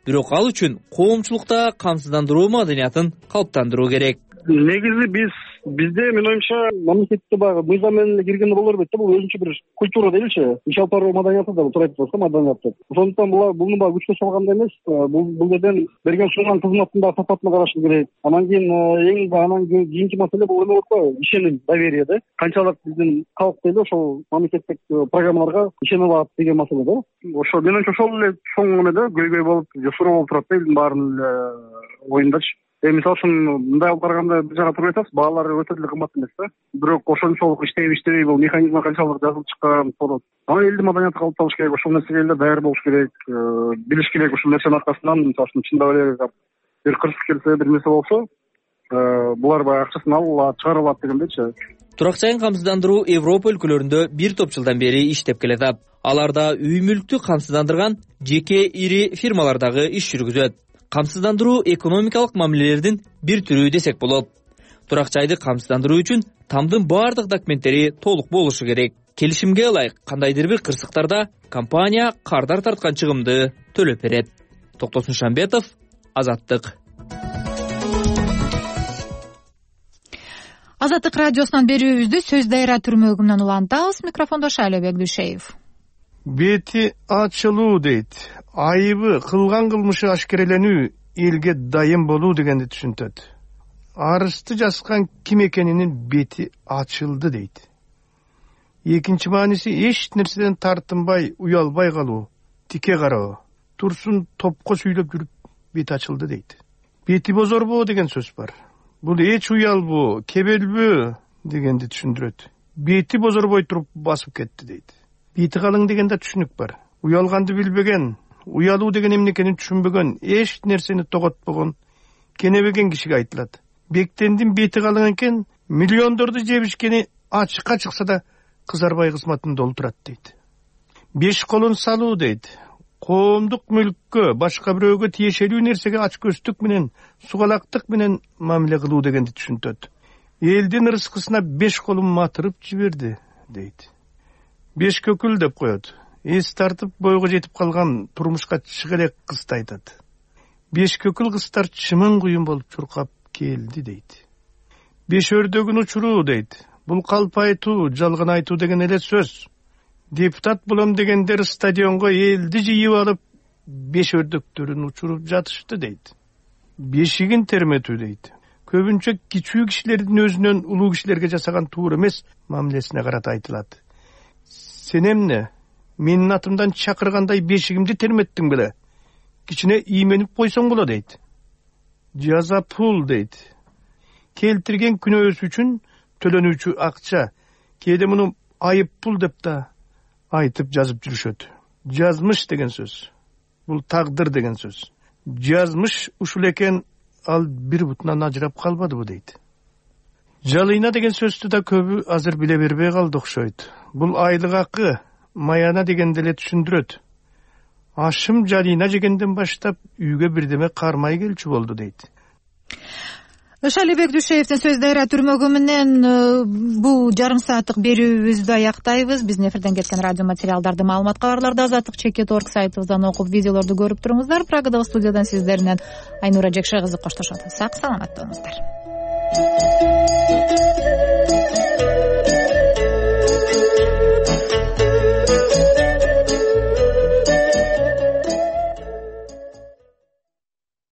Бирок ал үчүн коомчулукта камсыздандыруу маданиятын калыптандыруу керек. Негизи биз бизде менин оюмча мамлекетте баягы мыйзам менен эле киргенде боло бербейт да, бул өзүнчө бир культура дейбичи, иш алып баруу маданияты да туура айтып атасыз, маданият. Ошондуктан булар буну баягы күчкө салганда эмес, бул бул жерден берген сунган кызматтын да сапатына караш керек. Анан кийин эң анан кийинки маселе бул эме болуп коебу, ишеним, доверие да. Канчалык биздин калк дейли ошол мамлекеттик программаларга ишене алат деген маселе да. Ошо менин оюмча ошол эле чоң эмеде көйгөй болуп, суроо болуп турат да элдин баарынын оюндачы. Э мисалы үчүн мындай алып караганда бир жага туруп айтасыз, баалар өтө эле кымбат эмес да. Бирок ошончолук иштейби иштебей бул механизм канчалык жазылып чыккан болот. Анан элдин маданияты калыпталыш керек, ошол нерсеге эле даяр болуш керек, билиш керек. Ушул нерсенин аркасынан мисалы үчүн чындап эле бир кырсык келсе, бир нерсе болсо, булар баягы акчасын алып чыгарып алат дегендейчи. Турак жайын камсыздандыруу Европа өлкөлөрүндө бир топ жылдан бери иштеп келет. Аларда үй мүлктү камсыздандырган жеке ири фирмалар дагы иш жүргүзөт. Камсыздандыруу экономикалык мамилелердин бир түрү десек болот. Турак жайды камсыздандыруу үчүн тамдын баардык документтери толук болушу керек. Келишимге ылайык кандайдыр бир кырсыктарда компания кардар тарткан чыгымды төлөп берет. Токтосун Шамбетов, Азаттык. Азаттык радиосунан берүүбүздү сөз дайра түрмөгүнөн улантабыз. Микрофондо Шайлебек Дүйшеев. Бети ачылуу дейт. Айыбы кылган кылмышы ашкереленүү элге дайым болуу дегенди түшүнтөт. Арызды жазган ким экенинин бети ачылды дейт. Экинчи мааниси эч нерседен тартынбай, уялбай калуу, тике кароо, турсун топко сүйлөп жүрүп бети ачылды дейт. Бети бозорбоо деген сөз бар. Бул эч уялбоо, кебелбөө дегенди түшүндүрөт. Бети бозорбой туруп басып кетти дейт. Бети калың дегенде түшүнүк бар. Уялганды билбеген, уялуу деген эмне экенин түшүнбөгөн, эч нерсени тоготпогон, кенебеген кишиге айтылат. Бектендин бети калың экен, миллиондорду жебишкени ачыкка чыкса да кызарбай кызматын долтурат дейт. Беш колун салуу дейт. Коомдук мүлккө, башка бирөөгө тиешелүү нерсеге ачкөздүк менен, сугалактык менен мамиле кылуу дегенди түшүнтөт. Элдин ырыскысына беш колун матырып жиберди дейт. Беш көкүл деп коет. Эс тартып бойго жетип калган турмушка чыга элек кызды айтат. Беш көкүл кыздар чымын куюн болуп чуркап келди дейт. Беш өрдөгүн учуруу дейт. Бул калп айтуу, жалган айтуу деген эле сөз. Депутат болом дегендер стадионго элди жыйып алып, беш өрдөктөрүн учуруп жатышты дейт. бешигин терметүү дейт. Көбүнчө кичүү кишилердин өзүнөн улуу кишилерге жасаган туура эмес мамилесине карата айтылат. Сен эмне менин атымдан чакыргандай бешигимди терметтиң беле? Кичине ийменип койсоң болот дейт. Жаза пул дейт. Келтирген күнөөсү үчүн төлөнүүчү акча. Кээде муну айып пул деп да айтып жазып жүрүшөт. Жазмыш деген сөз. Бул тагдыр деген сөз. Жазмыш ушул экен, ал бир бутунан ажырап калбадыбы дейт. Жалыйна деген сөздү да көбү азыр биле бербей калды окшойт. Бул айлык акы, маяна дегенди эле түшүндүрөт. Ашым жалыйна жегенден баштап үйгө бирдеме кармай келчү болду дейт. Шалибек Дүйшеевдин сөздөрү түрмөгү менен бул жарым сааттык берүүбүздү аяктайбыз. Биздин эфирден кеткен радио материалдарды, маалымат кабарларды азаттык чекит точка орг сайтыбыздан окуп, видеолорду көрүп туруңуздар. Прагадагы студиядан сиздер Айнура Жекше кызы коштошот. Сак саламатта болуңуздар.